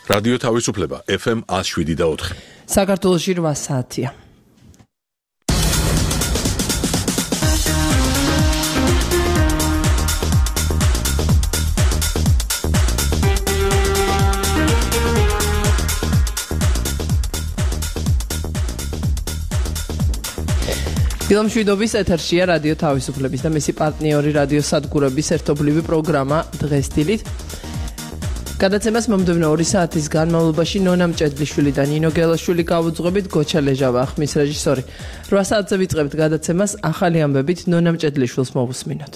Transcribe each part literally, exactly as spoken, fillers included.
რადიო თავისუფლება ეფ ემ one oh seven და ოთხი. საქართველოში რვა საათია. დილამშვიდობის ეთერშია რადიო თავისუფლების და მისი პარტნიორი რადიო სადგურების ერთობლივი პროგრამა დღეს დილით. გადაცემას მომდევნო ორი საათის განმავლობაში ნონა მჭედლიშვილი და ნინო გელაშვილი გავუძღვებით, გოჩა ლეჟავა ხმის რეჟისორი. რვა საათზე ვიწყებთ გადაცემას ახალი ამბებით ნონა მჭედლიშვილს მოვუსმინოთ.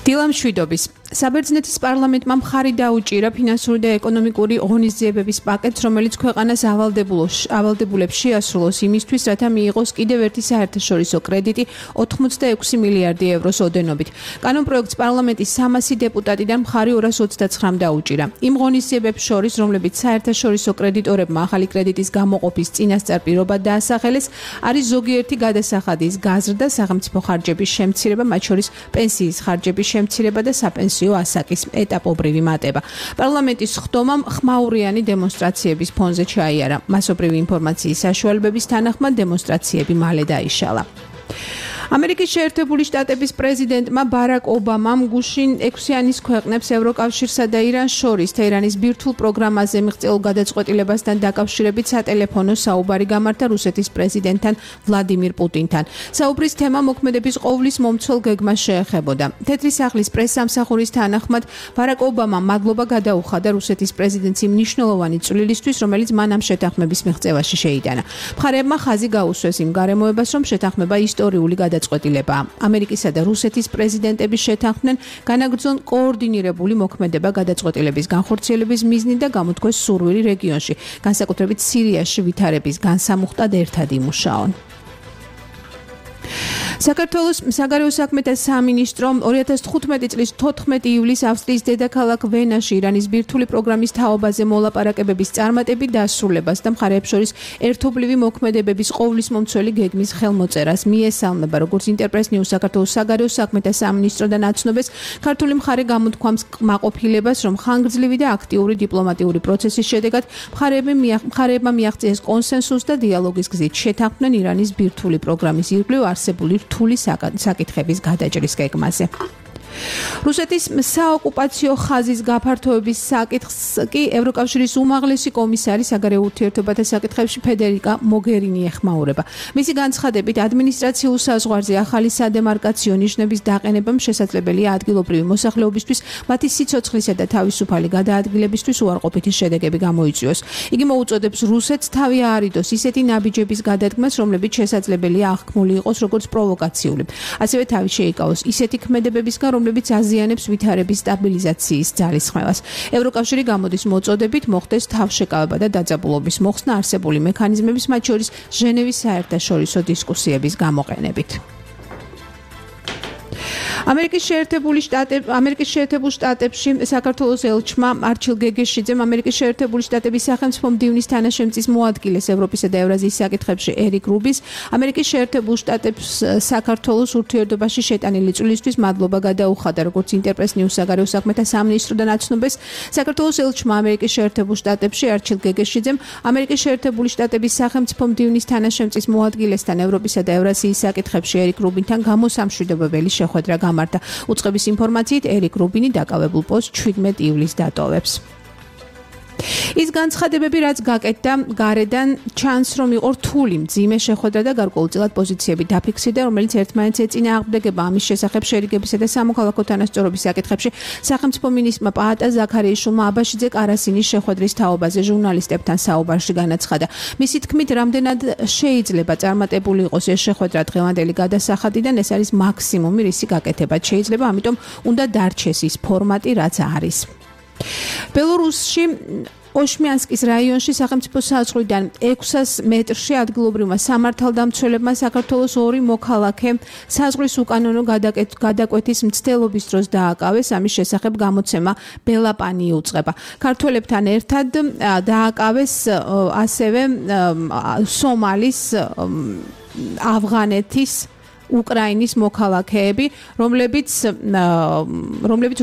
დილამშვიდობის საბერძნეთის პარლამენტმა მხარი დაუჭირა ფინანსური და ეკონომიკური ღონისძიებების პაკეტს, რომელიც ქვეყანას ავალდებულებს შეასრულოს იმისთვის, რათა მიიღოს კიდევ ერთი საერთაშორისო კრედიტი ოთხმოცდაექვსი მილიარდი ევროს ოდენობით. კანონპროექტს პარლამენტის სამასი დეპუტატიდან მხარი ორას ოცდაცხრამ დაუჭირა. იმ ღონისძიებებს შორის, რომლებიც საერთაშორისო კრედიტორებმა ახალი კრედიტის გამოყოფის წინასწარ პირობად დაასახელეს, არის ზოგიერთი გადასახადის გაზრდა, სახელმწიფო ხარჯების შემცირება, მათ შორის პენსიის ხარჯების შემცირება და საპენსიო ასაკის ეტაპობრივი მატება. პარლამენტის ხდომამ ხმაურიანი დემონსტრაციების ფონზე ჩაიარა. მასობრივი ინფორმაციის საშუალებების თანახმად დემონსტრაციები მალე დაიშალა. ამერიკის შეერთებული შტატების პრეზიდენტმა ბარაკ ობამამ გუშინ ექვსიანის ქვეყნებს ევროკავშირსა და ირანს შორის თეირანის ბირთვულ პროგრამაზე მიღწეულ გადაწყვეტილებასთან დაკავშირებით სატელეფონო საუბარი გამართა რუსეთის პრეზიდენტთან ვლადიმირ პუტინთან. საუბრის თემა მოქმედების ყოვლის მომცველ გეგმას შეეხებოდა. თეთრი სახლის პრესსამსახურის თანახმად ბარაკ ობამამ მადლობა გადაუხადა რუსეთის პრეზიდენტს იმ მნიშვნელოვანი წვლილისთვის, რომელიც მან ამ შეთანხმების მიღწევაში შეიტანა. მხარეებმა ხაზი გაუსვეს იმ გარემოებას, რომ შეთანხმება ისტორიული გადაწყვეტილებაა. ამერიკისა და რუსეთის პრეზიდენტების შეთანხმდნენ განაგრძონ კოორდინირებული მოქმედება გადაწყვეტილების განხორციელების მიზნით და გამოთქვეს სურვილი რეგიონში, განსაკუთრებით სირიაში ვითარების განსამუხტად ერთად იმუშაონ. საქართველოს საგარეო საქმეთა სამინისტრო ორი ათას თხუთმეტი წლის თოთხმეტი ივლისს ავსტრიის დედაქალაქ ვენაში ირანის ბირთვული პროგრამის თაობაზე მოლაპარაკებების წარმატებით დასრულებას და მხარეებს შორის ერთობლივი მოქმედებების ყოვლისმომცველი გეგმის ხელმოწერას მიესალმება. როგორც ინტერპრეს ნიუს საქართველოს საგარეო საქმეთა სამინისტროდან აცნობეს, ქართული მხარე გამოთქვამს კმაყოფილებას, რომ ხანგრძლივი და აქტიური დიპლომატიური პროცესის შედეგად მხარეებმა მიაღწიეს კონსენსუსს და დიალოგის გზით შეთანხმდნენ ირანის ბირთვული პროგრამის ირგვლივ არსებული რთული საკითხების გადაჭრის გეგმაზე. რუსეთის საოკუპაციო ხაზის გაფართოების საკითხს კი ევროკავშირის უმაღლესი კომისარი საგარეო ურთიერთობათა საკითხებში ფედერიკა მოგერინი ეხმაურება. მისი განცხადებით, ადმინისტრაციულ საზღვარზე ახალი სადემარკაციო ნიშნების დაყენებამ შესაძლებელია ადგილობრივი მოსახლეობისთვის მათი სიცოცხლისა და თავისუფალი გადაადგილებისთვის უარყოფითი შედეგები გამოიწვიოს. იგი მოუწოდებს რუსეთს თავი აარიდოს ისეთი ნაბიჯების გადადგმას, რომლებიც შესაძლებელია აღქმული იყოს როგორც პროვოკაციული. ასევე თავი შეიკავოს ისეთი ქმედებებისგან, რომლებიც აზიანებს ვითარების სტაბილიზაციის ძალისხმევას. ევროკავშირი გამოდის მოწოდებით მოხდეს თავშეკავება და დაძაბულობის მოხსნა არსებული მექანიზმების, მათ შორის ჟენევის საერთაშორისო დისკუსიების გამოყენებით. ამერიკის შეერთებული შტატები ამერიკის შეერთებულ შტატებში საქართველოს ელჩმა არჩილ გეგეშიძემ ამერიკის შეერთებული შტატების სახელმწიფო მდივნის თანაშემწის მოადგილეს ევროპისა და ევრაზიის საკითხებში ერიკ რუბის ამერიკის შეერთებულ შტატებს საქართველოს ურთიერთობაში შეტანილი წვლილისთვის მადლობა გადაუხადა. როგორც ინტერპრეს ნიუს საგარეო საქმეთა სამინისტროდან აცნობეს, საქართველოს ელჩმა ამერიკის შეერთებულ შტატებში არჩილ გეგეშიძემ ამერიკის შეერთებული შტატების სახელმწიფო მდივნის თანაშემწის მოადგილესთან ევროპისა და ევრაზიის საკითხებში ერიკ რუბინთან გამოსამშვიდობებელი შეხვედრა გამართა. უწყების ინფორმაციით ერიკ რუბინი დაკავებულ პოსტს ჩვიდმეტ ივლისს დატოვებს. ის განცხადებები, რაც გაკეთდა გარედან, ჩანს, რომ იყო რთული მძიმე შეხვედრა და გარკვეულწილად პოზიციები დაფიქსირდა, რომელიც ერთმანეთს ეწინააღმდეგება. ამის შესახებ შერიგებისა და სამოქალაქო თანასწორობის საკითხებში სახელმწიფო მინისტრმა პაატა ზაქარიაშვილმა აბაშიძე კარასინის შეხვედრის თაობაზე ჟურნალისტებთან საუბარში განაცხადა. მისი თქმით, რამდენად შეიძლება წარმატებული იყოს ეს შეხვედრა დღევანდელი გადასახადიდან, ეს არის მაქსიმუმი, რისი გაკეთებაც შეიძლება, ამიტომ უნდა დარჩეს ის ფორმატი, რაც არის. ბელორუსში ოშმიანსკის რაიონში სახელმწიფო საზღვრიდან ექვსას მეტრში ადგილობრივმა სამართალდამცველებმა საქართველოს ორი მოქალაქე საზღვრის უკანონო გადაკვეთის მცდელობის დროს დააკავეს. ამის შესახებ გამოცემა ბელაპანი იუწყება. ქართველებთან ერთად დააკავეს ასევე სომალის, ავღანეთის უკრაინის მოქალაქეები, რომლებიც რომლებიც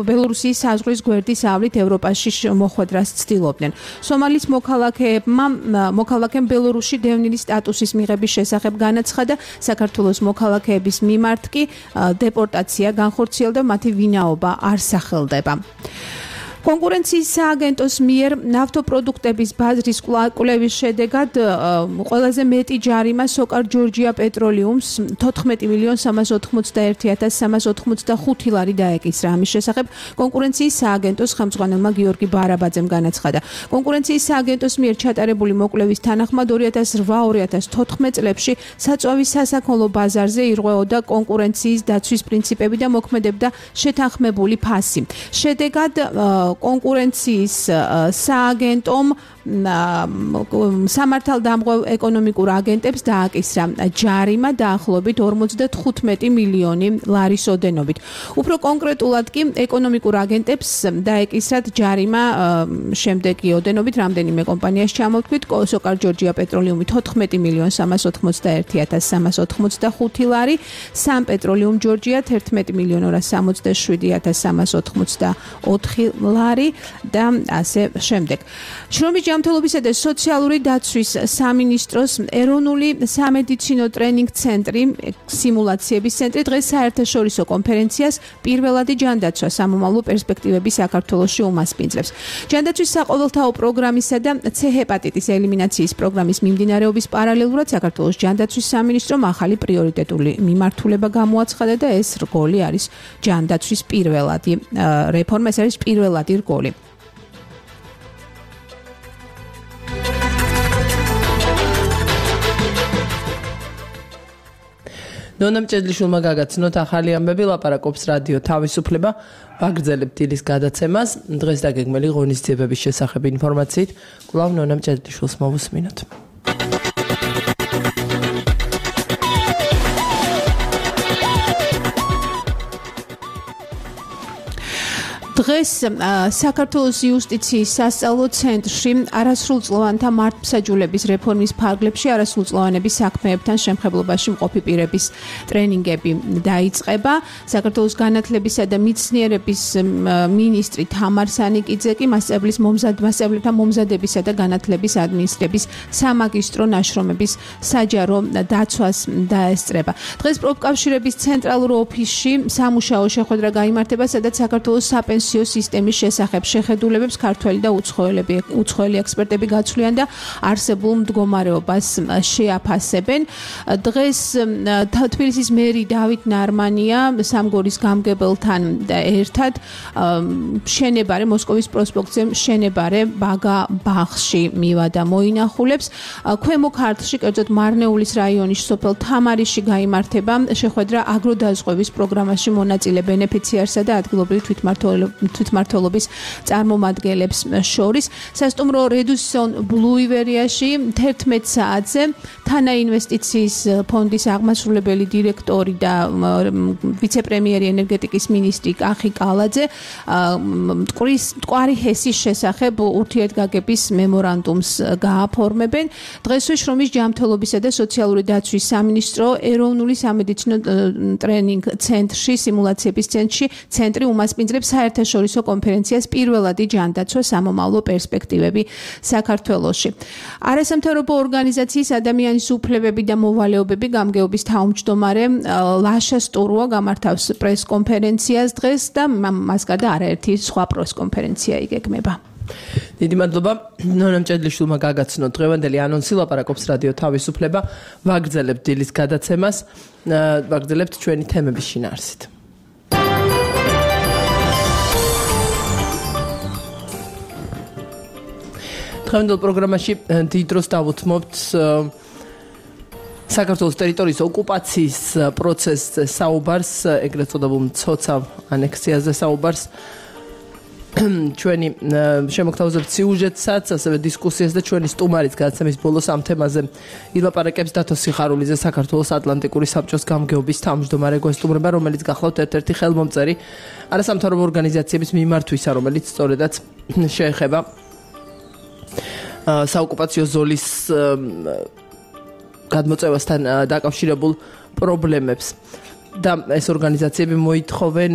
ბელორუსიის საზღვრის გვერდის ავლით ევროპაში მოხვედრას ცდილობდნენ. სომალის მოქალაქეებმა მოქალაქემ ბელორუსში დევნილი სტატუსის მიღების შესახებ განაცხადა, საქართველოს მოქალაქეების მიმართ კი დეპორტაცია განხორციელდა, მათი ვინაობა არ სახელდება. კონკურენციის სააგენტოს მიერ ნავთობპროდუქტების ბაზრის კვლევის შედეგად ყველაზე მეტი ჯარიმა სოკარ ჯორჯია პეტროლიუმს თოთხმეტი მილიონ სამას ოთხმოცდაერთი ათას სამას ოცდახუთი ლარი დაეკისრა. ამის შესახებ კონკურენციის სააგენტოს ხელმძღვანელმა გიორგი ბარაბაძემ განაცხადა. კონკურენციის სააგენტოს მიერ ჩატარებული მოკვლევის თანახმად ორი ათას რვა ორი ათას თოთხმეტ წლებში საწვავის სასაქონლო ბაზარზე ირღვეოდა კონკურენციის დაცვის პრინციპები და მოქმედებდა შეთანხმებული ფასი. შედეგად კონკურენციის სააგენტომ სამართალდამღებ ეკონომიკურ აგენტებს დააკისრა ჯარიმა დაახლოებით ორმოცდათხუთმეტი მილიონი ლარის ოდენობით. უფრო კონკრეტულად კი ეკონომიკურ აგენტებს დაეკისრათ ჯარიმა შემდეგი ოდენობით რამდენიმე კომპანიას ჩამოვთქვით: სოკარ ჯორჯია პეტროლიუმი თოთხმეტი მილიონ სამას ოცდაერთი ათას სამას ოცდახუთი ლარი, სამ პეტროლიუმ ჯორჯია თერთმეტი მილიონ ორას სამოცდაშვიდი ათას სამას ოცდაოთხი ლარი და ასე შემდეგ. შრომის ჯანმრთელობისა და სოციალური დაცვის სამინისტროს ეროვნული სამედიცინო ტრენინგ ცენტრი სიმულაციების ცენტრი დღეს საერთაშორისო კონფერენციას პირველადი ჯანდაცვა სამომავლო პერსპექტივები საქართველოში უმასპინძლებს. ჯანდაცვის საყოველთაო პროგრამისა და ცე ჰეპატიტის ელიმინაციის პროგრამის მიმდინარეობის პარალელურად საქართველოს ჯანდაცვის სამინისტრომ ახალი პრიორიტეტული მიმართულება გამოაცხადა და ეს რგოლი არის ჯანდაცვის პირველადი რეფორმა, ეს არის პირველადი რგოლი. ნონა მჭედლიშვილმა გაგაცნოთ ახალი ამბები, ლაპარაკობს რადიო თავისუფლება, ვაგრძელებთ დილის გადაცემას. დღეს დაგეგმილი ღონისძიებების შესახებ ინფორმაციით კვლავ ნონა მჭედლიშვილს მოვუსმინოთ. დღეს საქართველოს იუსტიციის სასწავლო ცენტრში არასრულწლოვანთა მართლმსაჯულების რეფორმის ფარგლებში არასრულწლოვანების საქმეებთან შემხებლობაში მყოფი პირების ტრენინგები დაიწყება. საქართველოს განათლებისა და მეცნიერების მინისტრი თამარ სანიკიძე კი მასწავლებლის მომზადებლებთან მომზადებისა და განათლების ადმინისტრების სამაგისტრო ნაშრომების საჯარო დაცვას დაესწრება. დღეს პროფკავშირების ცენტრალურ ოფისში სამუშაო შეხვედრა გაიმართება, სადაც საქართველოს საპენსიო სისტემის შესახებ შეხედულებებს ქართველი და უცხოელები უცხოელი ექსპერტები გაცვლიან და არსებულ მდგომარეობას შეაფასებენ. დღეს თბილისის მერი დავით ნარმანია სამგორის გამგებელთან ერთად შენებარე მოსკოვის პროსპექტზე შენებარე ბაგა ბაღში მივა და მოინახულებს. ქვემო ქართლში, კერძოდ მარნეულის რაიონის სოფელ თამარიში გაიმართება შეხვედრა აგროდაზღვევის პროგრამაში მონაწილე ბენეფიციარსა და ადგილობრივი თვითმმართველობის თვითმმართველობის წარმომადგენლებს შორის. სასტუმრო რედუსონ ბლუივერიაში თერთმეტ საათზე თანა ინვესტიციის ფონდის აღმასრულებელი დირექტორი და ვიცე-პრემიერი ენერგეტიკის მინისტრი კახი კალაძე მტკვრის მტკვარი ჰესის შესახებ ურთიერთგაგების მემორანდუმს გააფორმებენ. დღესვე შრომის ჯანმრთელობისა და სოციალური დაცვის სამინისტრო ეროვნული სამედიცინო ტრენინგ ცენტრში სიმულაციების ცენტრში ცენტრი უმასპინძლებს საერთაშორისო კონფერენციას პირველადი ჯანდაცვა სამომავლო პერსპექტივები საქართველოში. არასამთავრობო ორგანიზაციის ადამიანის უფლებები და მოვალეობები გამგეობის თავმჯდომარე ლაშა სტურუა გამართავს პრესკონფერენციას დღეს და მას გარდა არაერთი სხვა პრესკონფერენცია იგეგმება. დიდი მადლობა ნონა მჭედლიშვილმა გაგაცნოთ დღევანდელი ანონსი, ლაპარაკობს რადიო თავისუფლება, ვაგრძელებთ დილის გადაცემას, ვაგრძელებთ ჩვენი თემების შინაარსით. დღევანდელ პროგრამაში დიდ დროს დავუთმობთ საქართველოს ტერიტორიის ოკუპაციის პროცესზე საუბარს, ეგრეთ წოდებულ მცოცავ ანექსიაზე საუბარს. ჩვენი შემოგთავაზებთ სიუჟეტსაც, ასევე დისკუსიას და ჩვენი სტუმარიც გადაცემის ბოლოს ამ თემაზე ილაპარაკებს დათო სიხარულიძე, საქართველოს ატლანტიკური საბჭოს გამგეობის თავმჯდომარე გვესტუმრება, რომელიც გახლავთ ერთ-ერთი ხელმომწერი არასამთავრობო ორგანიზაციების მიმართვისა, რომელიც სწორედაც შეეხება საოკუპაციო ზოლის გადმოწევასთან დაკავშირებულ პრობლემებს და ეს ორგანიზაციები მოითხოვენ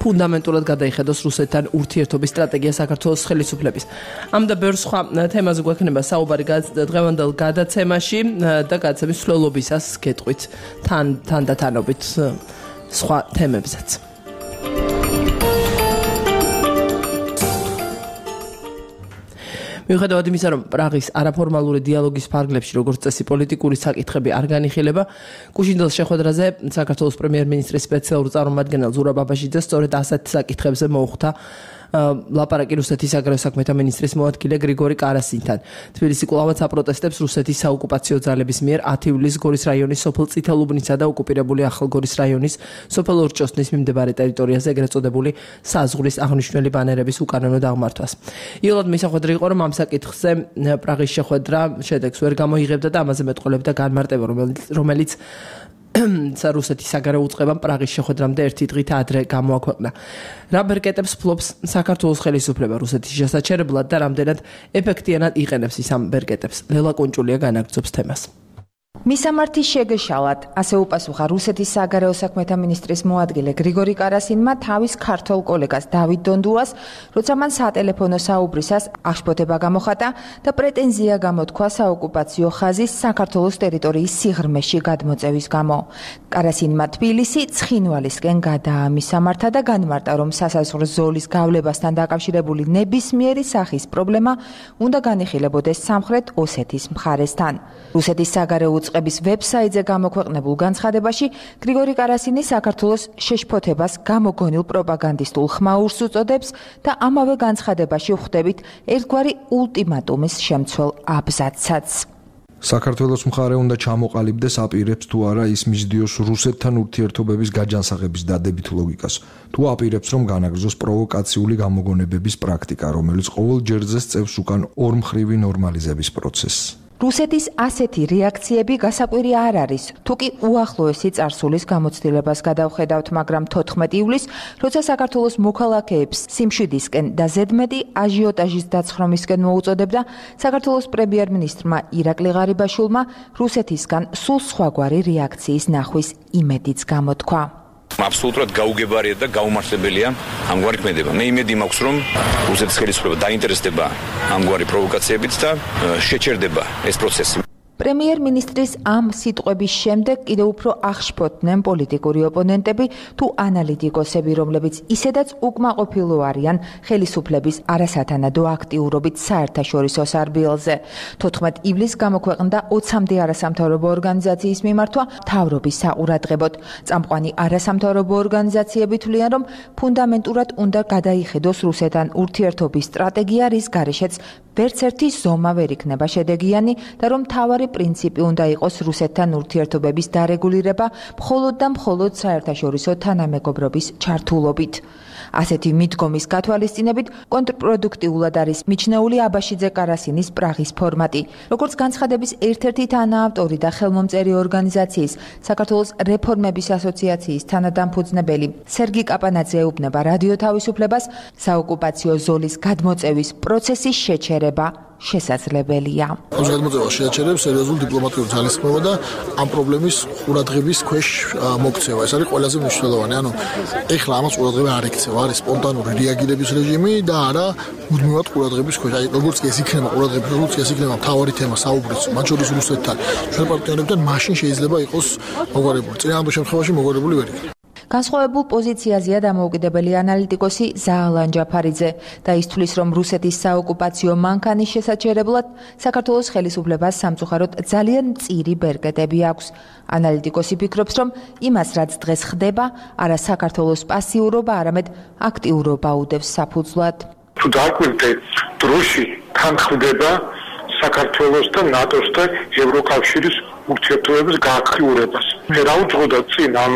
ფუნდამენტურად გადაიხედოს რუსეთთან ურთიერთობის სტრატეგია საქართველოს ხელისუფლების. ამ და ბევრ სხვა თემაზე გვექნება საუბარი დღევანდელ გადაცემაში და გადაცემის მსვლელობისას გეტყვით თან თანდათანობით სხვა თემებზეც. მიუხედავად იმისა, რომ პრაღის არაფორმალური დიალოგის ფარგლებში როგორც წესი პოლიტიკური საკითხები არ განიხილება, კუშინდელს შეხვედრაზე საქართველოს პრემიერ-მინისტრის სპეციალური წარმომადგენელ ზურაბ აბაშიძე სწორედ ასეთ საკითხებზე მოუხდა ლაპარაკი რუსეთის საგარეო საქმეთა მინისტრის მოადგილე გრიგორი კარასინთან. თბილისი კვლავაც აპროტესტებს რუსეთის საოკუპაციო ძალების მიერ ათი ივლისს გორის რაიონის სოფელ წითელუბნისა და ოკუპირებული ახალგორის რაიონის სოფელ ორჭოსნის მიმდებარე ტერიტორიაზე ეგრეთ წოდებული საზღვრის აღნიშნული ბანერების უკანონო დაღმართვას. იოლად მისახვედრი იყო, რომ ამ საკითხზე პრაღის შეხვედრა შედეგს ვერ გამოიღებდა და ამაზე მეტყოლებდა განმარტება, რომელიც რუსეთის საგარეო უწყებამ პრაღის შეხვედრამდე ერთი დღით ადრე გამოაქვეყნა. რა ბერკეტებს ფლობს საქართველოს ხელისუფლება რუსეთის შესაჩერებლად და რამდენად ეფექტიანად იყენებს ის ამ ბერკეტებს? ლელა კონჭულია განაგრძობს თემას. მისამართი შეგეშალათ, ასე უპასუხა რუსეთის საგარეო საქმეთა მინისტრის მოადგილე გრიგორი კარასინმა თავის ქართველ კოლეგას დავით დონდუას, როცა მან სატელეფონო საუბრისას აღშფოთება გამოხატა და პრეტენზია გამოთქვა საოკუპაციო ხაზის საქართველოს ტერიტორიის სიღრმეში გადმოწევის გამო. კარასინმა თბილისი ცხინვალისკენ გადაამისამართა და განმარტა, რომ სასაზღვრო ზოლის გავლებასთან დაკავშირებული ნებისმიერი სახის პრობლემა უნდა განიხილებოდეს სამხრეთ ოსეთის მხარესთან. რუსეთის საგარეო უწყების ვებსაიტზე გამოქვეყნებულ განცხადებაში გრიგორი კარასინი საქართველოს შეშფოთებას გამოგონილ პროპაგანდისტულ ხმაურს უწოდებს და ამავე განცხადებაში ვხვდებით ერთგვარი ულტიმატუმის შემცველ აბზაცსაც. საქართველოს მხარე უნდა ჩამოყალიბდეს აპირებს თუ არა ის მისდიოს რუსეთთან ურთიერთობების გაჯანსაღების დადებით ლოგიკას, თუ აპირებს რომ განაგრძოს პროვოკაციული გამოგონებების პრაქტიკა, რომელიც ყოველ ჯერზე სწევს უკან ორმხრივი ნორმალიზების პროცესს. რუსეთის ასეთი რეაქციები გასაკვირი არ არის, თუ კი უახლოესი წარსულის გამოცდილებას გადავხედავთ, მაგრამ თოთხმეტი ივლისს, როცა საქართველოს მოქალაქეებს სიმშვიდისკენ და ზედმეტი აჟიოტაჟის დაცხრომისკენ მოუწოდებდა, საქართველოს პრემიერ-მინისტრმა ირაკლი ღარიბაშვილმა რუსეთისგან სულ სხვაგვარი რეაქციის ნახვის იმედიც გამოთქვა. Absolutურად გაუგებარია და გაუმართლებელია ამგვარი ქმედება. მე იმედი მაქვს, რომ რუსეთის ხელისუფლება დაინტერესდება ამგვარი პროვოკაციებით და შეჩერდება ეს პროცესი. პრემიერ-მინისტრის ამ სიტყვების შემდეგ კიდევ უფრო აღშფოთდნენ პოლიტიკური ოპონენტები თუ ანალიტიკოსები, რომლებიც ისედაც უკმაყოფილო არიან ხელისუფლების არასათანადო აქტიურობით საერთაშორისო სარბიელზე. თოთხმეტ ივლისს გამოქვეყნდა ოცამდე არასამთავრობო ორგანიზაციის მიმართვა მთავრობის საყურადღებოდ. წამყვანი არასამთავრობო ორგანიზაციები თვლიან, რომ ფუნდამენტურად უნდა გადაიხედოს რუსეთთან ურთიერთობის სტრატეგია, რის გარეშეც ვერც ერთი ზომა ვერ იქნება შედეგიანი და რომ მთავარი პრინციპი უნდა იყოს რუსეთთან ურთიერთობების დარეგულირება მხოლოდ და მხოლოდ საერთაშორისო თანამეგობრობის ჩართულობით. ასეთი მიდგომის გათვალისწინებით კონტრპროდუქტიულად არის მიჩნეული აბაშიძე კარასინის პრაღის ფორმატი. როგორც განცხადების ერთ-ერთი თანაავტორი და ხელმომწერი ორგანიზაციის საქართველოს რეფორმების ასოციაციის თანადამფუძნებელი სერგი კაპანაძე ეუბნება რადიო თავისუფლებას, საოკუპაციო ზოლის გადმოწევის პროცესის შეჩერება შესაძლებელია. ამ გადმოწევას შეაჩერებს სერიოზულ დიპლომატიურ ძალისხმევა და ამ პრობლემის ყურადღების ქვეშ მოქცევა. ეს არის ყველაზე მნიშვნელოვანი. ანუ ეხლა ამას ყურადღება არ ექცევა, არის სპონტანური რეაგირების რეჟიმი და არა მუდმივად ყურადღების ქვეშ. აი როგორც კი ეს იქნება ყურადღების, როგორც კი ეს იქნება მთავარი თემა საუბრის, მათ შორის რუსეთთან, ჩვენ პარტნიორებთან, მაშინ შეიძლება იყოს მოგვარებული. წინააღმდეგ შემთხვევაში მოგვარებული ვერ იქნება. განსხვავებულ პოზიციაზეა დამოუკიდებელი ანალიტიკოსი ზაალან ჯაფარიძე და ის თვლის, რომ რუსეთის საოკუპაციო მანქანის შესაჩერებლად საქართველოს ხელისუფლებას სამწუხაროდ ძალიან მწირი ბერკეტები აქვს. ანალიტიკოსი ფიქრობს, რომ იმას, რაც დღეს ხდება, არა საქართველოს პასიურობა, არამედ აქტიურობა უდევს საფუძვლად. თუ დაგვირდე დროში თან ხდება საქართველოს და ნატოს და ევროკავშირის ურთიერთობების გააქტიურებას. მე რა უძღოდა წინ ამ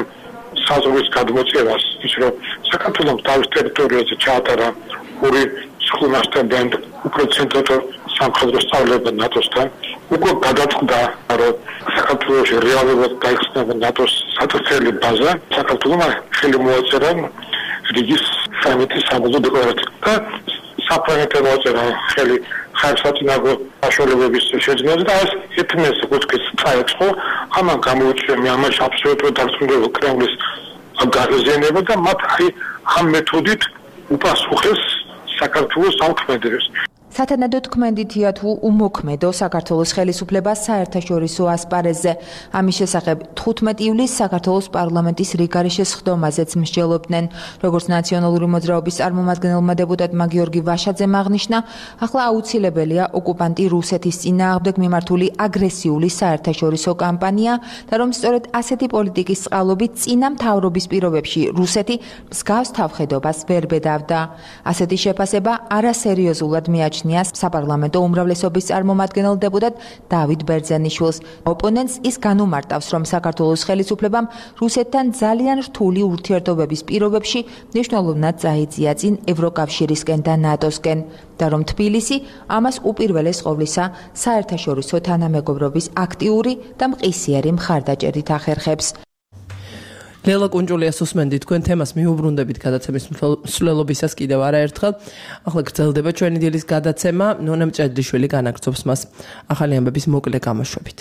საზღვრის გადმოწევას, ის რომ საქართველოს თავის ტერიტორიაზე ჩაატარა ორი სხლუნასთან და უფრო ცენტრალურ სამხედრო სწავლება ნატოსთან, უკვე გადაწყდა, რომ საქართველოში რეალურად გაიხსნება ნატოს საწვრთნელი ბაზა, საქართველოს ხელი მოაწერა რიგის სამეთის საბრძოლო დეკლარაცია და საფრანგეთმა მოაწერა ხელი ხარჯსაწინააღმდეგო საშუალებების შეძენაზე და ეს ეთნეს კუთხის წაეწყო. ამან გამოიწვია მე ამაში აბსოლუტურად დარწმუნებული კრემლის გაზიანება და მათ აი ამ მეთოდით უპასუხეს საქართველოს სამქმედებს. სათანადო თქმედითია თუ უმოქმედო საქართველოს ხელისუფლებას საერთაშორისო ასპარეზზე. ამის შესახებ თხუთმეტი ივლისს საქართველოს პარლამენტის რიგარეშე სხდომაზეც მსჯელობდნენ. როგორც ნაციონალური მოძრაობის წარმომადგენელმა დეპუტატმა გიორგი ვაშაძემ აღნიშნა, ახლა აუცილებელია ოკუპანტი რუსეთის წინააღმდეგ მიმართული აგრესიული საერთაშორისო კამპანია და რომ სწორედ ასეთი პოლიტიკის წყალობით წინა მთავრობის პირობებში რუსეთი მსგავს თავხედობას ვერ ბედავდა. ასეთი შეფასება არასერიოზულად მიაჩნია საპარლამენტო უმრავლესობის წარმომადგენელ დეპუტატ დავით ბერძენიშვილს. ოპონენტს ის განუმარტავს, რომ საქართველოს ხელისუფლებამ რუსეთთან ძალიან რთული ურთიერთობების პირობებში მნიშვნელოვნად წაიწია წინ ევროკავშირისკენ და ნატოსკენ და რომ თბილისი ამას უპირველეს ყოვლისა საერთაშორისო თანამეგობრობის აქტიური და მყისიერი მხარდაჭერით ახერხებს. ლელა კუნჯულიას უსმენდი თქვენ თემას მიუბრუნდებით გადაცემის მსვლელობისას კიდევ არაერთხელ. ახლა გრძელდება ჩვენი დილის გადაცემა. ნონა მჭედლიშვილი განაგრძობს მას ახალი ამბების მოკლე გამოშვებით.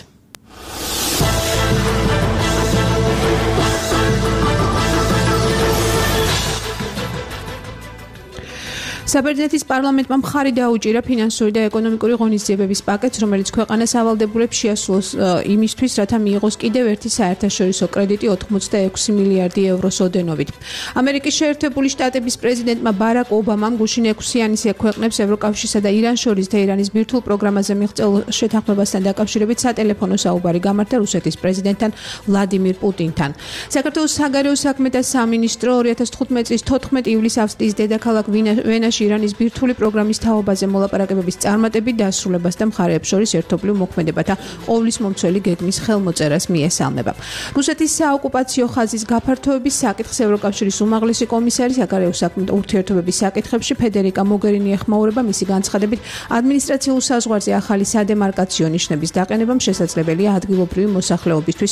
საბერძნეთის პარლამენტმა მხარი დაუჭირა ფინანსური და ეკონომიკური ღონისძიებების პაკეტს, რომელიც ქვეყანას ავალდებულებს შეასრულოს იმისთვის, რათა მიიღოს კიდევ ერთი საერთაშორისო კრედიტი ოთხმოცდაექვსი მილიარდი ევროს ოდენობით. ამერიკის შეერთებული შტატების პრეზიდენტმა ბარაკ ობამამ გუშინ ექვსიანის ქვეყნებს ევროკავშირსა და ირანს შორის თეირანის ბირთვულ პროგრამაზე მიღწეულ შეთანხმებასთან დაკავშირებით სატელეფონო საუბარი გამართა რუსეთის პრეზიდენტთან ვლადიმირ პუტინთან. საქართველოს საგარეო საქმეთა სამინისტრო ორი ათას თხუთმეტი წლის თოთხმეტი ივლისს ავსტრიის დედაქალაქ ვენაში ირანის ბირთვული პროგრამის თაობაზე მოლაპარაკებების წარმატებით დასრულებას და მხარეებს შორის ერთობლივ მოქმედებათა ყოვლის მომცველი გეგმის ხელმოწერას მიესალმება. რუსეთის საოკუპაციო ხაზის გაფართოების საკითხს ევროკავშირის უმაღლესი კომისარი საგარეო საქმეთა ურთიერთობების საკითხებში ფედერიკა მოგერინი ეხმაურება. მისი განცხადებით, ადმინისტრაციულ საზღვარზე ახალი სადემარკაციო ნიშნების დაყენებამ შესაძლებელია ადგილობრივი მოსახლეობისთვის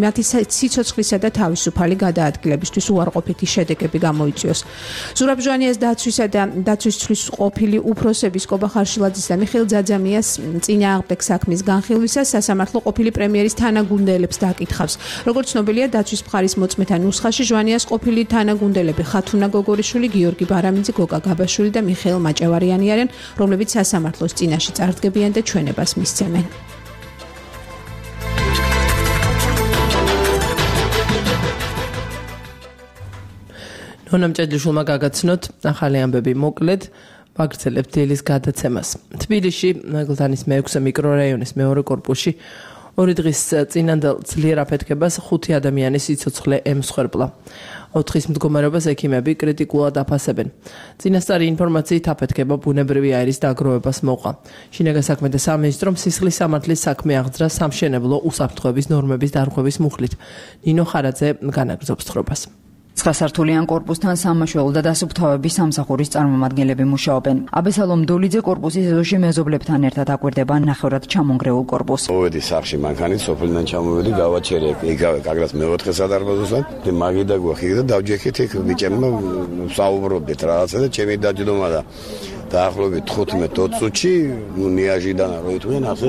მათი სიცოცხლისა და თავისუფალი გადაადგილებისთვის უარყოფითი შედეგები გამოიწვიოს. ზურაბ ჟვანიას დაცვისა და დაცვისთვის ყოფილი უფროსების კობა ხარშილაძის და მიხეილ ძაძამიას წინააღმდეგ საქმის განხილვისას სასამართლო ყოფილი პრემიერის თანაგუნდელებს დაკითხავს. როგორც ცნობილია, დაცვის მხარის მოწმეთა ნუსხაში ჟვანიას ყოფილი თანაგუნდელები ხათუნა გოგორიშვილი, გიორგი ბარამიძე, გოგა გაბაშვილი და მიხეილ მაჭევარიანი არიან, რომლებიც სასამართლოს წინაშე წარდგებიან და ჩვენებას მისცემენ. ნონა მჭედლიშვილმა გაგაცნოთ ახალი ამბები მოკლედ. ვაგრძელებთ დილის გადაცემას. თბილისში ნაგლთანის მეექვსე მიკრორაიონის მეორე კორპუსში ორი დღის წინანდელ ძლიერ აფეთქებას ხუთი ადამიანის სიცოცხლე ემსხვერპლა. ოთხის მდგომარეობას ექიმები კრიტიკულად აფასებენ. წინასწარი ინფორმაციით აფეთქება ბუნებრივი აირის დაგროვებას მოყვა. შინაგან საქმეთა სამინისტრომ სისხლის სამართლის საქმე აღძრა სამშენებლო უსაფრთხოების ნორმების დარღვევის მუხლით. ნინო ხარაძე განაგრძობს თხრობას. ცხრასართულიან კორპუსთან სამმართველო და დასუფთავების სამსახურის წარმომადგენლები მუშაობენ. აბესალომ დოლიძე კორპუსის ეზოში მეზობლებთან ერთად აკვირდება ნახევრად ჩამონგრეულ კორპუსს. მოვედი სახში მანქანით, სოფლიდან ჩამოვედი, გავაჩერე იგავე კაგრას მეოთხე სადარბაზოსთან. და მაგიდა გვახი და დავჯექით იქ ბიჭებმა საუბრობდით რაღაცა და ჩემი დაჯდომა და დაახლოებით თხუთმეტ ოცი წუთში ნუ ნიაჟიდან რო იტყვიან ასე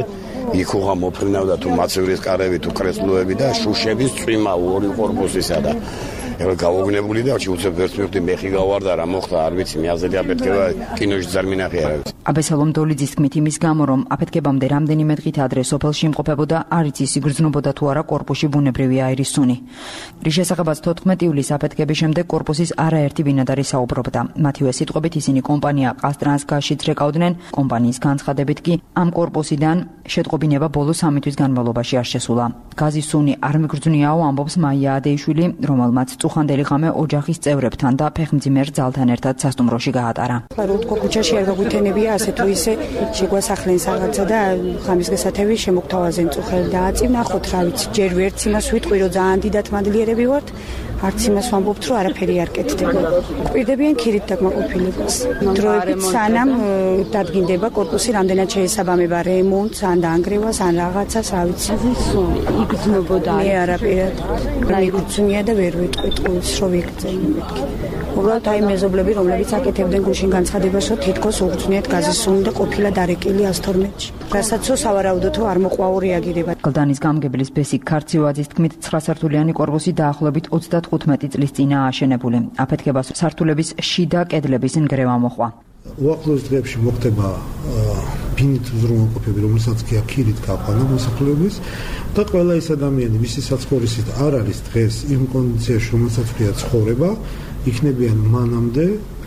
იქ უღა მოფრინავდა თუ მაცივრის კარები თუ კრესლოები და შუშების წვიმა ორი კორპუსისა და ეხლა გავოგნებული და უცებ ვერც მივხვდი მეხი გავარდა რა მოხდა არ ვიცი მე აზრი აფეთქება კინოში ძარ მინახე არა ვიცი. აბესალომ დოლიძის თქმით იმის გამო რომ აფეთქებამდე რამდენიმე დღით ადრე სოფელში იმყოფებოდა არ იცის იგრძნობოდა თუ არა კორპუსში ბუნებრივი აირის სუნი. რის შესახებაც თოთხმეტი ივლისს აფეთქების შემდეგ კორპუსის არაერთი ბინადარი საუბრობდა. მათივე სიტყვებით ისინი კომპანია ყაზტრანსგაზშიც რეკავდნენ. კომპანიის განცხადებით კი ამ კორპუსიდან შეტყობინება ბოლო სამი თვის განმავლობაში არ შესულა. გაზის სუნი არ მიგრძვნიაო ამბობს მაია ადეიშვილი, რომელმაც წუხანდელი ღამე ოჯახის წევრებთან და ფეხმძიმერ ძალთან ერთად სასტუმროში გაატარა. რო თქო ქუჩაში არ გაგვითენებია ასე თუ ისე შეგვასახლენ რაღაცა და ხამის გასათევი შემოგთავაზენ წუხელი დააწინა ხოთ რა ვიცი ჯერ ვერც იმას ვიტყვი რომ ძალიან დიდად მადლიერები ვართ არც იმას ვამბობთ რომ არაფერი არ კეთდება. ყვირდებიან ქირით დაკმაყოფილებას. დროებით სანამ დადგინდება კორპუსი რამდენად შეესაბამება რემონტს ან დაანგრევას ან რაღაცას რა ვიცი იგრძნობოდა. მე არაფერად მიგრძნია და ვერ ვიტყვით. ტყუილს რო ვიგრძელო მეთქი. უბრალოდ აი მეზობლები, რომლებიც აკეთებდნენ გუშინ განცხადებასო, თითქოს უგრძნიათ გაზისუნი და ყოფილა დარეკილი ას თორმეტში. რასაც სავარაუდოთო არ მოყვაო რეაგირება. გლდანის გამგებლის ბესიკ ქარციოაძის თქმით, ცხრა სართულიანი კორპუსი დაახლოებით ოცდათხუთმეტი წლის წინაა აშენებული. აფეთქებას სართულების შიდა კედლების ნგრევა მოჰყვა. უახლოეს დღეებში მოხდება ბინით უზრუნველყოფები, რომელსაც კი აქირით გაყვანა მოსახლეობის და ყველა ის ადამიანი, ვისი საცხოვრისით არ არის დღეს იმ კონდიციაში, რომელსაც ქვია ცხოვრება, იქნებიან მანამდე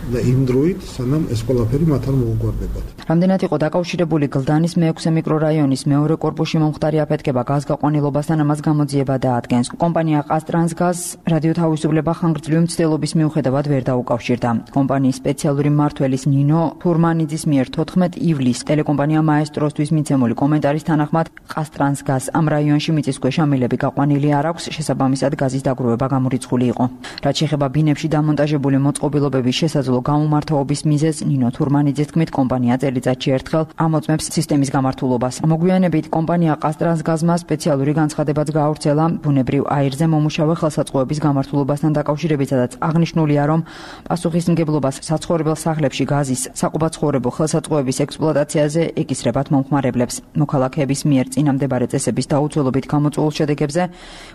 და იმ დროით, სანამ ეს ყველაფერი მათ არ მოუგვარდებათ. რამდენად იყო დაკავშირებული გლდანის მეექვსე მიკრორაიონის მეორე კორპუსში მომხდარი აფეთქება გაზგაყვანილობასთან, ამას გამოძიება დაადგენს. კომპანია ყაზტრანსგაზ რადიო თავისუფლება ხანგრძლივი მცდელობის მიუხედავად ვერ დაუკავშირდა. კომპანიის სპეციალური მმართველის ნინო თურმანიძის მიერ თოთხმეტ ივლისს ტელეკომპანია მაესტროსთვის მიცემული კომენტარის თანახმად ყაზტრანსგაზ ამ რაიონში მიწისქვეშა მილები გაყვანილი არ აქვს, შესაბამისად გაზის დაგროვება გამორიცხული იყო. რაც შეეხება ბინებში დამონტაჟებული მოწყობილობების შესაძლო გამომართვაობის მიზეზს, ნინო თურმანიძის თქმით, კომპანია წელიწადში ერთხელ ამოწმებს სისტემის გამართულობას. მოგვიანებით კომპანია ყაზტრანსგაზმა სპეციალური განცხადებაც გაავრცელა ბუნებრივ აირზე მომუშავე ხელსაწყოების გამართულობასთან დაკავშირებით, სადაც აღნიშნულია, რომ პასუხისმგებლობას საცხოვრებელ სახლებში გაზის საყუბაცხოვრებო ხელსაწყოების ექსპლუატაციაზე ეკისრებათ მომხმარებლებს. მოქალაქეების მიერ წინამდებარე წესების დაუცველობით გამოწვეულ შედეგებზე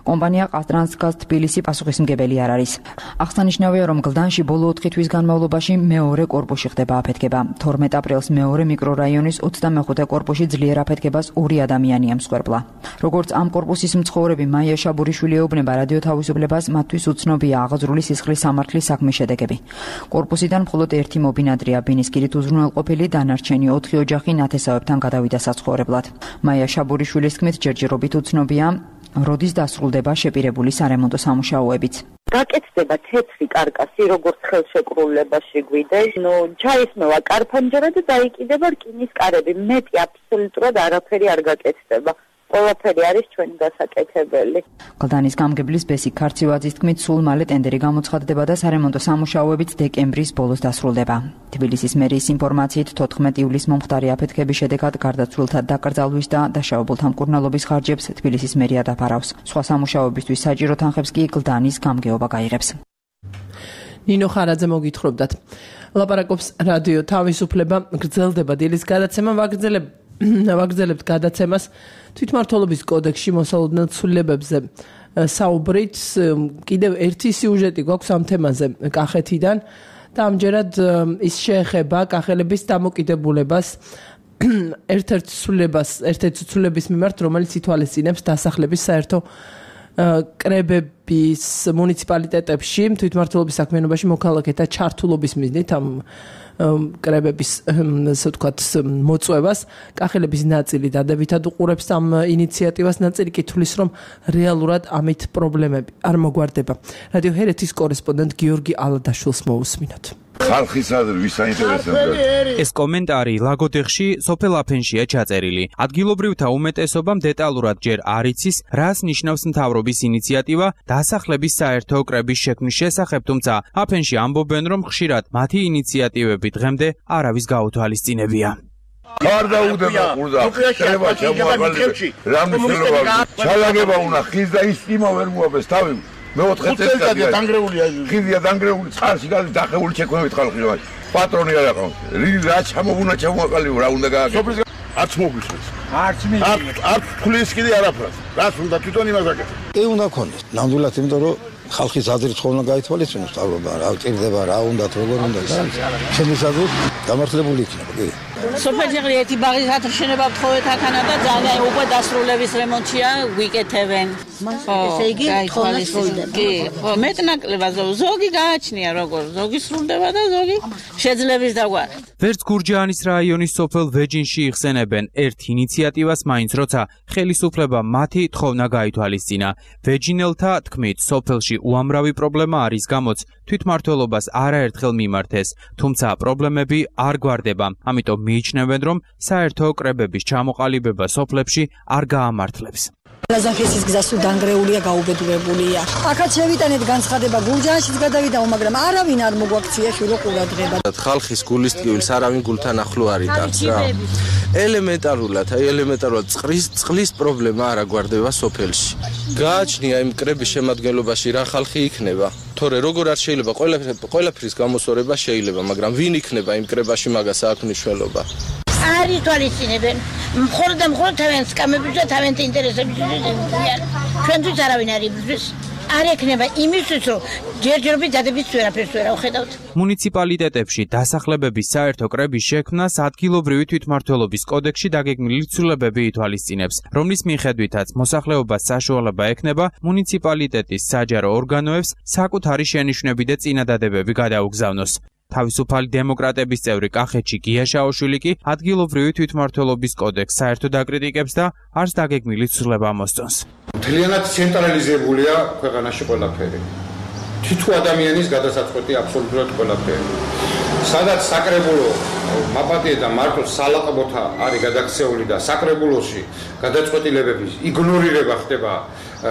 კომპანია ყაზტრანსგაზ თბილისი პასუხისმგებელი არ არის. აღსანიშნავია, რომ გლდანში ბოლო ოთხი თვის განმავლობაში მეორე კორპუსში ხდება აფეთქება. თორმეტ აპრილს მეორე მიკრორაიონის ოცდამეხუთე კორპუსში ძლიერ აფეთქებას ორი ადამიანი ემსხვერპლა. როგორც ამ კორპუსის მცხოვრები მაია შაბურიშვილი ეუბნება რადიო თავისუფლებას, მათთვის უცნობია აღაზრული სისხლის სამართლის საქმის შედეგები. კორპუსიდან მხოლოდ ერთი მობინადრეა ბინისკირით უზრუნველყოფილი, დანარჩენი ოთხი ოჯახი ნათესავებთან გადავიდა საცხოვრებლად. მაია შაბურიშვილის თქმით, ჯერჯერობით უცნობია, როდის დასრულდება შეპირებული სარემონტო სამუშაოებიც. გაკეთდება თეთრი კარკასი, როგორც ხელშეკრულებაში გვიდეს. ნუ ჩაისმევა კარფანჯარა და დაიკიდება რკინის კარები. მეტი აბსოლუტურად არაფერი არ გაკეთდება. ყველაფერი არის ჩვენი გასაკეთებელი. გლდანის გამგებლის ბესიკ ქარციოაძის თქმით, სულ მალე ტენდერი გამოცხადდება და სარემონტო სამუშაოებიც დეკემბრის ბოლოს დასრულდება. თბილისის მერიის ინფორმაციით თოთხმეტ ივლისს მომხდარი აფეთქების შედეგად გარდაცვლილთა დაკრძალვის და დაშავებულთა მკურნალობის ხარჯებს თბილისის მერია დაფარავს. სხვა სამუშაოებისთვის საჭირო თანხებს კი გლდანის გამგეობა გაიღებს. ნინო ხარაძე მოგითხრობდათ. ლაპარაკობს რადიო თავისუფლება, გრძელდება დილის გადაცემა, ვაგრძელებ ვაგრძელებთ გადაცემას თვითმმართველობის კოდექსში მოსალოდნელ ცვლილებებზე საუბრით. კიდევ ერთი სიუჟეტი გვაქვს ამ თემაზე კახეთიდან და ამჯერად ის შეეხება კახელების დამოკიდებულებას ერთ-ერთ ცვლილებას, ერთ-ერთ ცვლილების მიმართ, რომელიც ითვალისწინებს დასახლების საერთო კრებების მუნიციპალიტეტებში თვითმმართველობის საქმიანობაში მოქალაქეთა ჩართულობის მიზნით ამ კრებების ასე ვთქვათ მოწვევას. კახელების ნაწილი დადებითად უყურებს ამ ინიციატივას, ნაწილი კი თვლის, რომ რეალურად ამით პრობლემები არ მოგვარდება. რადიო ჰერეთის კორესპონდენტ გიორგი ალადაშვილს მოусმინოთ. ხალხის აზრი ვის აინტერესებს? ეს კომენტარი ლაგოდეხში სოფელ აფენშია ჩაწერილი. ადგილობრივთა უმეტესობამ დეტალურად ჯერ არ იცის, რას ნიშნავს მთავრობის ინიციატივა დასახლების საერთო კრების შექმნის შესახებ, თუმცა აფენში ამბობენ, რომ ხშირად მათი ინიციატივები დღემდე არავის გაუთვალისწინებია. არ დაუდება ყურდა. შეიძლება ჩამოაყალიბე. რა მნიშვნელობა? ჩალაგება უნდა ხის და ის იმა ვერ მოაბეს თავი. მეოთხე წელიწადია დანგრეულია. ხიდია დანგრეული, წყარში გადის დახეული შექმნებით ხალხი რა. პატრონი არ აქვს. რა ჩამოვუნა ჩამოაყალიბო, რა უნდა გააკეთო? არც მოგვისმენს. არც მიიღეთ. არც ფulis კიდე არაფრას. რას უნდა თვითონ იმას აკეთო? ე უნდა ქონდეს. ნამდვილად იმიტომ რომ ხალხის აზრით ხოლმე გაითვალისწინოს თავრობა, რა ჭირდება, რა უნდა, როგორ უნდა და ჩემი აზრით გამართლებული იქნება, კი. სოფელში ერთი ბაღის ათშენება ვთხოვეთ აქანა და ძალიან უკვე დასრულების რემონტია ვიკეთებენ. ესე იგი თხოვნა სრულდება. კი, ხო, მეტნაკლებად ზოგი გააჩნია როგორ, ზოგი სრულდება და ზოგი შეძლების დაგვარეთ. ვერც გურჯაანის რაიონის სოფელ ვეჯინში იხსენებენ ერთ ინიციატივას, მაინც როცა ხელისუფლება მათი თხოვნა გაითვალისწინა. ვეჯინელთა თქმით, სოფელში უამრავი პრობლემა არის, გამოც თვითმმართველობას არაერთხელ მიმართეს, თუმცა პრობლემები არ გვარდება. ამიტომ მიიჩნევენ, რომ საერთო კრებების ჩამოყალიბება სოფლებში არ გაამართლებს. ლაზახეთის გზა სულ დანგრეულია, გაუბედურებულია. აქაც შევიტანეთ განცხადება, გურჯაანშიც გადავიდაო, მაგრამ არავინ არ მოგვაქცია შვილო ყურადღება. ხალხის გულის ტკივილს არავინ გულთან ახლო არ იტანს რა. ელემენტარულად, აი ელემენტარულად წყლის წყლის პრობლემა არ აგვარდება სოფელში. გააჩნია იმ კრების შემადგენლობაში რა ხალხი იქნება. თორე როგორ არ შეიძლება ყველაფრის გამოსწორება შეიძლება, მაგრამ ვინ იქნება იმ კრებაში მაგას აქვს მნიშვნელობა. არ ითვალისწინებენ. მხოლოდ და მხოლოდ თავიანთ სკამების და თავიანთ ინტერესების ზრდიან. ჩვენთვის არავინ არ იბრძვის. არ ექნება იმისთვის, რომ ჯერჯერობით დადებით ვერაფერს ვერ ავხედავთ. მუნიციპალიტეტებში დასახლებების საერთო კრების შექმნას ადგილობრივი თვითმმართველობის კოდექსში დაგეგმილი ცვლილებები ითვალისწინებს, რომლის მიხედვითაც მოსახლეობას საშუალება ექნება მუნიციპალიტეტის საჯარო ორგანოებს საკუთარი შენიშვნები და წინადადებები გადაუგზავნოს. თავისუფალი დემოკრატების წევრი კახეთში გია შაოშვილი კი ადგილობრივი თვითმმართველობის კოდექსს საერთოდ აკრიტიკებს და არც დაგეგმილი ცვლილება მოსწონს. მთლიანად ცენტრალიზებულია ქვეყანაში ყველაფერი. თითო ადამიანის გადასაწყვეტი აბსოლუტურად ყველაფერი. სადაც საკრებულო მაპატიე და მარტო სალაყბოთა არის გადაქცეული და საკრებულოში გადაწყვეტილებების იგნორირება ხდება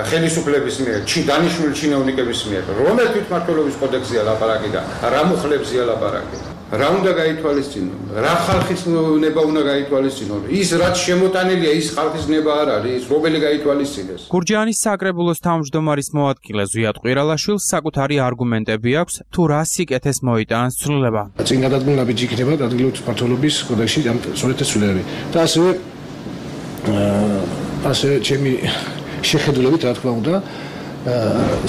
ხელისუფლების მიერ, დანიშნული ჩინოვნიკების მიერ, რომელ თვითმმართველობის კოდექსზეა ლაპარაკი და რა მუხლებზეა ლაპარაკი. რა უნდა გაითვალისწინონ? რა ხალხის ნება უნდა გაითვალისწინონ? ის რაც შემოტანილია, ის ხალხის ნება არ არის, რომელი გაითვალისწინეს. გურჯაანის საკრებულოს თავმჯდომარის მოადგილე ზვიად ყვირალაშვილს საკუთარი არგუმენტები აქვს, თუ რა სიკეთეს მოიტანს ცვლილება. წინ გადადგმული იქნება ადგილობრივი თვითმმართველობის კოდექსში ამ სწორედ ეს ცვლილებები. და ასევე ასევე ჩემი შეხედულებით, რა თქმა უნდა,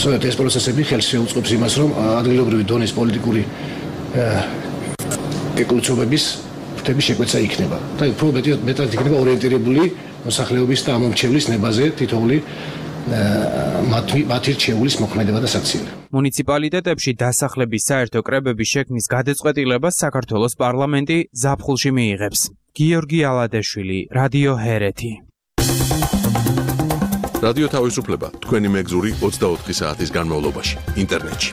სწორედ ეს პროცესები ხელს შეუწყობს იმას, რომ ადგილობრივი დონის პოლიტიკური ეკოლოგიების ფრთების შეკვეცა იქნება. და უფრო მეტად იქნება ორიენტირებული მოსახლეობის და ამომრჩევლის ნებაზე თითოეული მათი რჩეულის მოქმედება და საქციელი. მუნიციპალიტეტებში დასახლების საერთო კრებების შექმნის გადაწყვეტილებას საქართველოს პარლამენტი ზაფხულში მიიღებს. გიორგი ალადეშვილი, რადიო ჰერეთი. რადიო თავისუფლება თქვენი მეგზური ოცდაოთხი საათის განმავლობაში ინტერნეტში.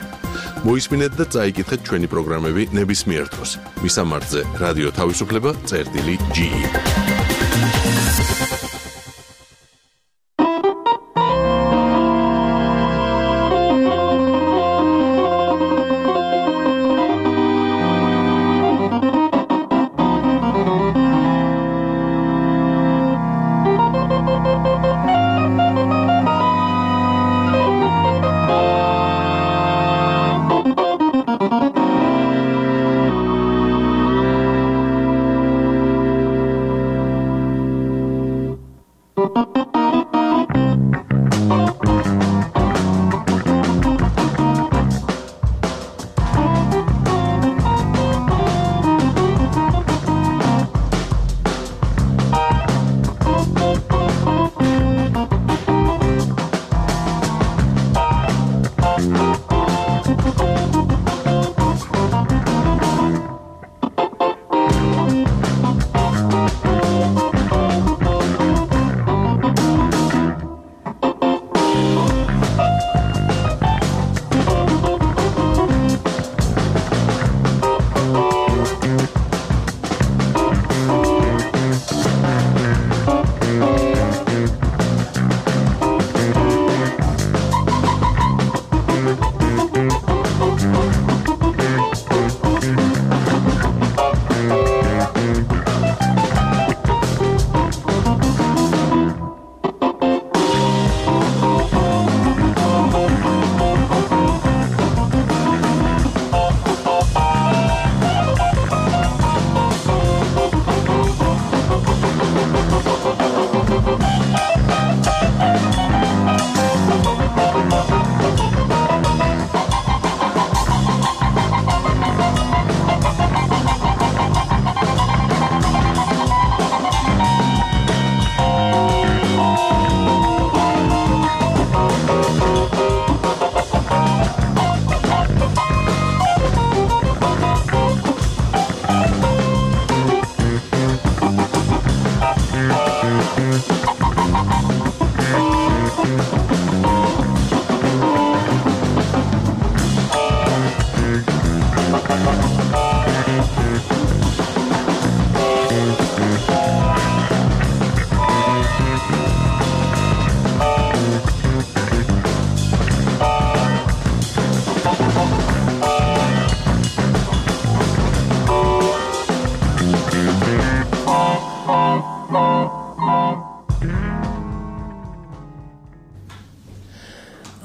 მოისმინეთ და წაიკითხეთ ჩვენი პროგრამები ნებისმიერ დროს. მისამართზე რადიო თავისუფლება წერტილი ჯი ი.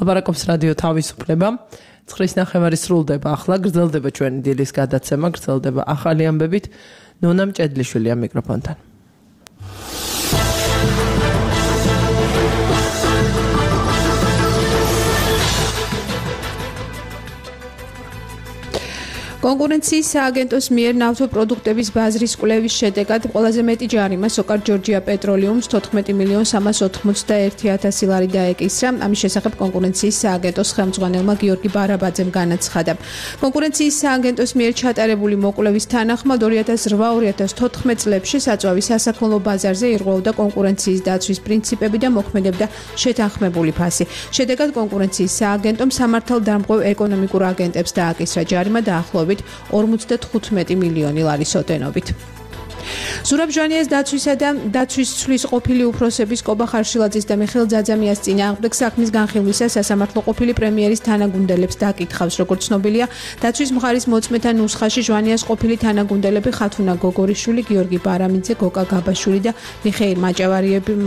ლაპარაკობს რადიო თავისუფლება. ცხრის ნახევარი სრულდება ახლა, გრძელდება ჩვენი დილის გადაცემა, გრძელდება ახალი ამბებით. ნონა მჭედლიშვილია მიკროფონთან. კონკურენციის სააგენტოს მიერ ნავთო პროდუქტების ბაზრის კვლევის შედეგად ყველაზე მეტი ჯარიმა სოკარ ჯორჯია პეტროლიუმს თოთხმეტი მილიონ სამას ოთხმოცდაერთი ათასი ლარი დაეკისრა. ამის შესახებ კონკურენციის სააგენტოს ხელმძღვანელმა გიორგი ბარაბაძემ განაცხადა. კონკურენციის სააგენტოს მიერ ჩატარებული მოკვლევის თანახმად ორი ათას რვა ორი ათას თოთხმეტ წლებში საწვავი სასაქონლო ბაზარზე ირღვეოდა კონკურენციის დაცვის პრინციპები და მოქმედებდა შეთანხმებული ფასი. შედეგად კონკურენციის სააგენტომ სამართალდამღებ ეკონომიკურ აგენტებს დააკისრა ჯარიმა დაახლოებით ორმოცდათხუთმეტი მილიონი ლარის ოდენობით. ზურაბ ჟვანიას დაცვისა და დაცვის ცვლის ყოფილი უფროსების კობა ხარშილაძის და მიხეილ ძაძამიას წინააღმდეგ საქმის განხილვისას სასამართლო ყოფილი პრემიერის თანაგუნდელებს დაკითხავს. როგორც ცნობილია, დაცვის მხარის მოწმეთა ნუსხაში ჟვანიას ყოფილი თანაგუნდელები ხათუნა გოგორიშვილი, გიორგი ბარამიძე, გოკა გაბაშვილი და მიხეილ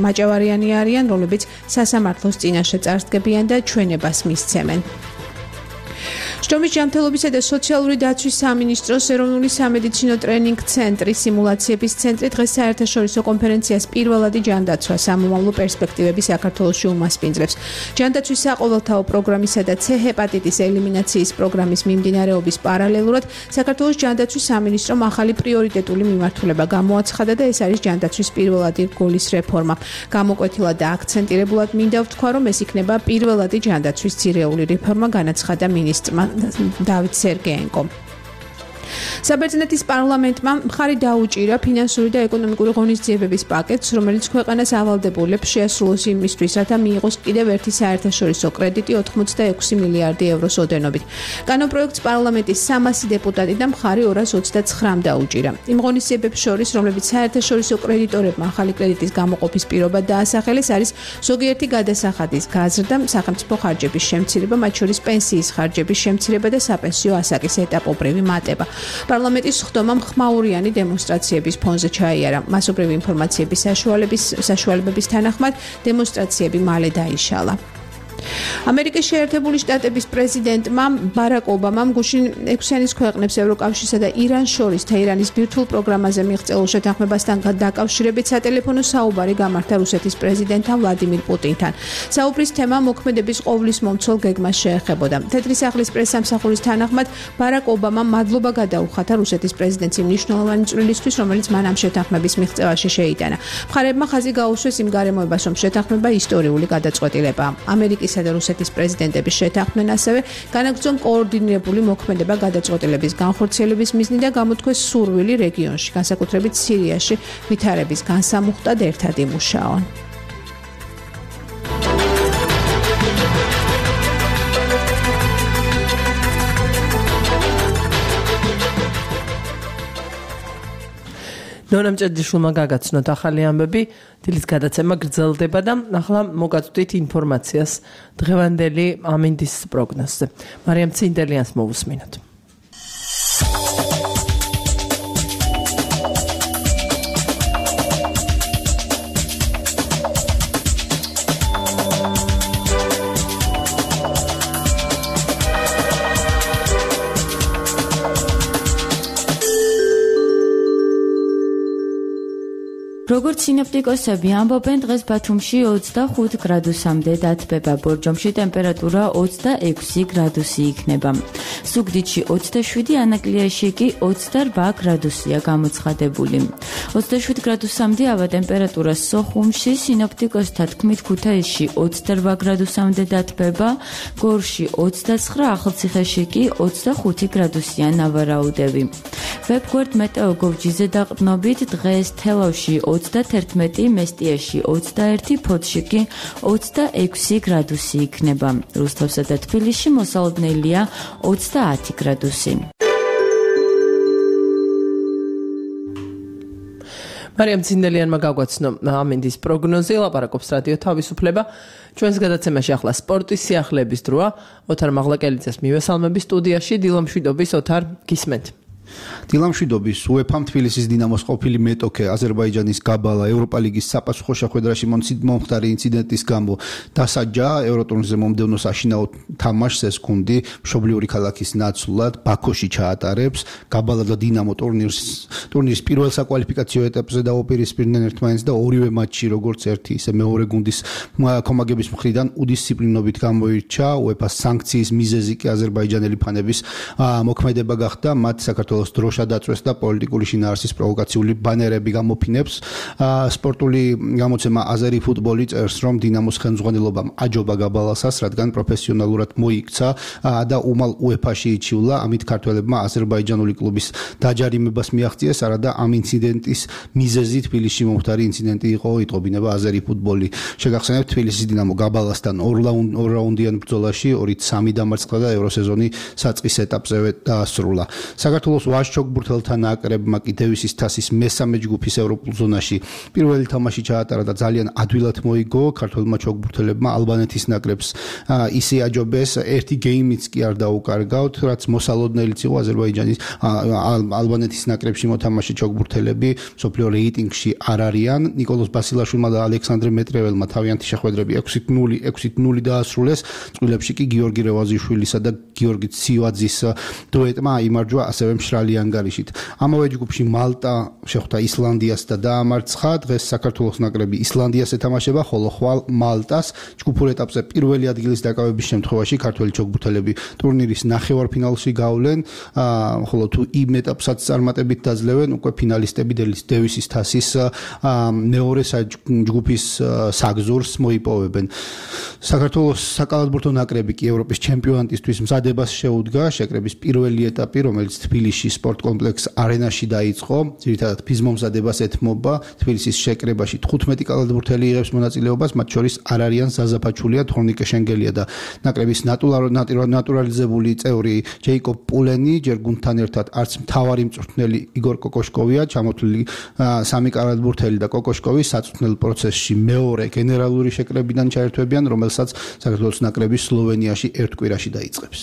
მაჭავარიანი არიან, რომლებიც სასამართლოს წინაშე წარსდგებიან და ჩვენებას მისცემენ. შტომის ჯანმრთელობისა და სოციალური დაცვის სამინისტროს ეროვნული სამედიცინო ტრენინგ ცენტრის სიმულაციების ცენტრი დღეს საერთაშორისო კონფერენციას პირველადი ჯანდაცვა სამომავლო პერსპექტივები საქართველოში უმასპინძლებს. ჯანდაცვის საყოველთაო პროგრამისა და C ჰეპატიტის ელიმინაციის პროგრამის მიმდინარეობის პარალელურად საქართველოს ჯანდაცვის სამინისტრომ ახალი პრიორიტეტული მიმართულება გამოაცხადა და ეს არის ჯანდაცვის პირველადი რგოლის რეფორმა. გამოკვეთილად და აქცენტირებულად მინდა ვთქვა, რომ ეს იქნება პირველადი ჯანდაცვის ძირეული რეფორმა, განაცხადა მინისტრმა დავით სერგეენკომ. საბერძნეთის პარლამენტმა მხარი დაუჭირა ფინანსური და ეკონომიკური ღონისძიებების პაკეტს, რომელიც ქვეყანას ავალდებულებს შეასრულოს იმისთვის, რათა მიიღოს კიდევ ერთი საერთაშორისო კრედიტი ოთხმოცდაექვსი მილიარდი ევროს ოდენობით. კანონპროექტს პარლამენტის სამასი დეპუტატი და მხარი ორას ოცდაცხრამ დაუჭირა. იმ ღონისძიებებს შორის, რომლებიც საერთაშორისო კრედიტორებმა ახალი კრედიტის გამოყოფის პირობა დაასახელეს, არის ზოგიერთი გადასახადის გაზრდა, სახელმწიფო ხარჯების შემცირება, მათ შორის პენსიის ხარჯების შემცირება და საპენსიო ასაკის ეტაპობრივი მატება. პარლამენტის ხდომამ ხმაურიანი დემონსტრაციების ფონზე ჩაიარა. მასობრივი ინფორმაციების საშუალებების თანახმად დემონსტრაციები მალე დაიშალა. ამერიკის შეერთებული შტატების პრეზიდენტმა ბარაკ ობამამ გუშინ ექვსიანის ქვეყნებს ევროკავშირსა და ირანს შორის თეირანის ბირთვულ პროგრამაზე მიღწეულ შეთანხმებასთან დაკავშირებით სატელეფონო საუბარი გამართა რუსეთის პრეზიდენტთან ვლადიმირ პუტინთან. საუბრის თემა მოქმედების ყოვლის მომცველ გეგმას შეეხებოდა. თეთრი სახლის პრესსამსახურის თანახმად ბარაკ ობამამ მადლობა გადაუხათა რუსეთის პრეზიდენტს იმ მნიშვნელოვანი წვლილისთვის, რომელიც მან ამ შეთანხმების მიღწევაში შეიტანა. მხარეებმა ხაზი გაუსვეს იმ გარემოებას, რომ შეთანხმება ისტორიული გადაწყვეტილებაა. ამერიკის და რუსეთის პრეზიდენტების შეთანხმდნენ ასევე განაგრძონ კოორდინირებული მოქმედება გადაწყვეტილების განხორციელების მიზნით და გამოთქვეს სურვილი რეგიონში, განსაკუთრებით სირიაში ვითარების განსამუხტად ერთად იმუშაონ. ნონა მჭედლიშვილმა გაგაცნოთ ახალი ამბები, დილის გადაცემა გრძელდება და ახლა მოგაწვდით ინფორმაციას დღევანდელი ამინდის პროგნოზზე. მარიამ ცინდელიანს მოვუსმინოთ. როგორც სინოპტიკოსები ამბობენ, დღეს ბათუმში ოცდახუთ გრადუსამდე დათბება, ბორჯომში ტემპერატურა ოცდაექვსი გრადუსი იქნება. ზუგდიდში ოცდაშვიდი, ანაკლიაში კი ოცდარვა გრადუსია გამოცხადებული. ოცდაშვიდ გრადუსამდე ავა ტემპერატურა სოხუმში, სინოპტიკოსთა თქმით ქუთაისში ოცდარვა გრადუსამდე დათბება, გორში ოცდაცხრა, ახალციხეში კი ოცდახუთი გრადუსია ნავარაუდები. ვებგვერდ მეტეო გოვჯიზე დაყრდნობით დღეს თელავში ოცდათერთმეტი, მესტიაში ოცდაერთი, ფოთში კი ოცდაექვსი გრადუსი იქნება. რუსთავსა და თბილისში მოსალოდნელია ოცდაათი გრადუსი. მარიამ ცინდელიანმა გაგვაცნო ამინდის პროგნოზი, ლაპარაკობს რადიო თავისუფლება. ჩვენს გადაცემაში ახლა სპორტის სიახლეების დროა. ოთარ მაღლაკელიძეს მივესალმები სტუდიაში, დილომშვიდობის ოთარ, გისმენთ. დილამშვიდობის უეფა-მ თბილისის დინამოს ყოფილი მეტოქე აზერბაიჯანის გაბალა ევროპა ლიგის საპასუხო შეხვედრაში მომხდარი ინციდენტის გამო დასაჯა ევროტურნირზე მომდევნო საშინაო თამაშს ეს გუნდი მშობლიური ქალაქის ნაცვლად ბაქოში ჩაატარებს. გაბალა და დინამო ტურნირს ტურნირის პირველ საკვალიფიკაციო ეტაპზე დაუპირისპირდნენ ერთმანეთს და ორივე მატჩი როგორც ერთი ისე მეორე გუნდის კომაგების მხრიდან უდისციპლინობით გამოირჩა. უეფა-ს სანქციის მიზეზი კი აზერბაიჯანელი ფანების მოქმედება გახდა. მათ საქართველოს დროშა დაწვეს და პოლიტიკური შინაარსის პროვოკაციული ბანერები გამოფინებს. სპორტული გამოცემა აზერი ფუტბოლი წერს, რომ დინამოს ხელმძღვანელობამ აჯობა გაბალასას, რადგან პროფესიონალურად მოიქცა და უმალ უეფა-ში იჩივლა. ამით ქართველებმა აზერბაიჯანული კლუბის დაჯარიმებას მიაღწიეს, არადა ამ ინციდენტის მიზეზი თბილისში მომხდარი ინციდენტი იყო, იტყობინება აზერი ფუტბოლი. შეგახსენებთ, თბილისის დინამო გაბალასთან ორ რაუნდიან ბრძოლაში ორი სამი დამარცხდა და ევროსეზონი საწყის ეტაპზევე დაასრულა. საქართველოს ვაჟ-ჩოგბურთელთა ნაკრებმა კი დევისის თასის მესამე ჯგუფის ევროპულ ზონაში პირველი თამაში ჩაატარა და ძალიან ადვილად მოიგო. ქართველმა ჩოგბურთელებმა ალბანეთის ნაკრებს ისე აჯობეს, ერთი გეიმიც კი არ დაუკარგავთ, რაც მოსალოდნელიც იყო აზერბაიჯანის ალბანეთის ნაკრებში მოთამაშე ჩოგბურთელები მსოფლიო რეიტინგში არ არიან. ნიკოლოზ ბასილაშვილმა და ალექსანდრე მეტრეველმა თავიანთი შეხვედრები ექვსით ნული დაასრულეს. წყვილებში კი გიორგი რევაზიშვილისა და გიორგი ცივაძის დუეტმა აიმარჯვა ასევე მშრალი ანგარიშით. ამავე ჯგუფში მალტა შეხვდა ისლანდიას და დაამარცხა. დღეს საქართველოს ნაკრები ისლანდიას ეთამაშება, ხოლო ხვალ მალტას. ჯგუფურ ეტაპზე პირველი ადგილის დაკავების შემთხვევაში ქართველი ჩოგბურთელები ტურნირის ნახევარფინალში გავლენ, ხოლო თუ იმ ეტაპსაც წარმატებით დაძლევენ, უკვე ფინალისტები დევისის თასის მეორე ჯგუფის საგზურს მოიპოვებენ. საქართველოს საკალათბურთო ნაკრები კი ევროპის ჩემპიონატისთვის მზადებას შეუდგა. შეკრების პირველი ეტაპი, რომელიც თბილისში სპორტ კომპლექს არენაში დაიწყო, ძირითადად ფიზმომზადებას ეთმობა. თბილისის შეკრებაში თხუთმეტი კალათბურთელი იღებს მონაწილეობას, მათ შორის არ არიან ზაზაფაჩულია, თორნიკე შენგელია და ნაკრების ნატურალიზებული წევრი ჯეიკობ პულენი. ჯერ გუნდთან ერთად არც მთავარი მწვრთნელი იგორ კოკოშკოვია, ჩამოთვლილი სამი კალათბურთელი და კოკოშკოვი საწვრთნელ პროცესში მეორე გენერალური შეკრებიდან ჩაერთვებიან, რომელსაც საქართველოს ნაკრები სლოვენიაში ერთ კვირაში დაიწყებს.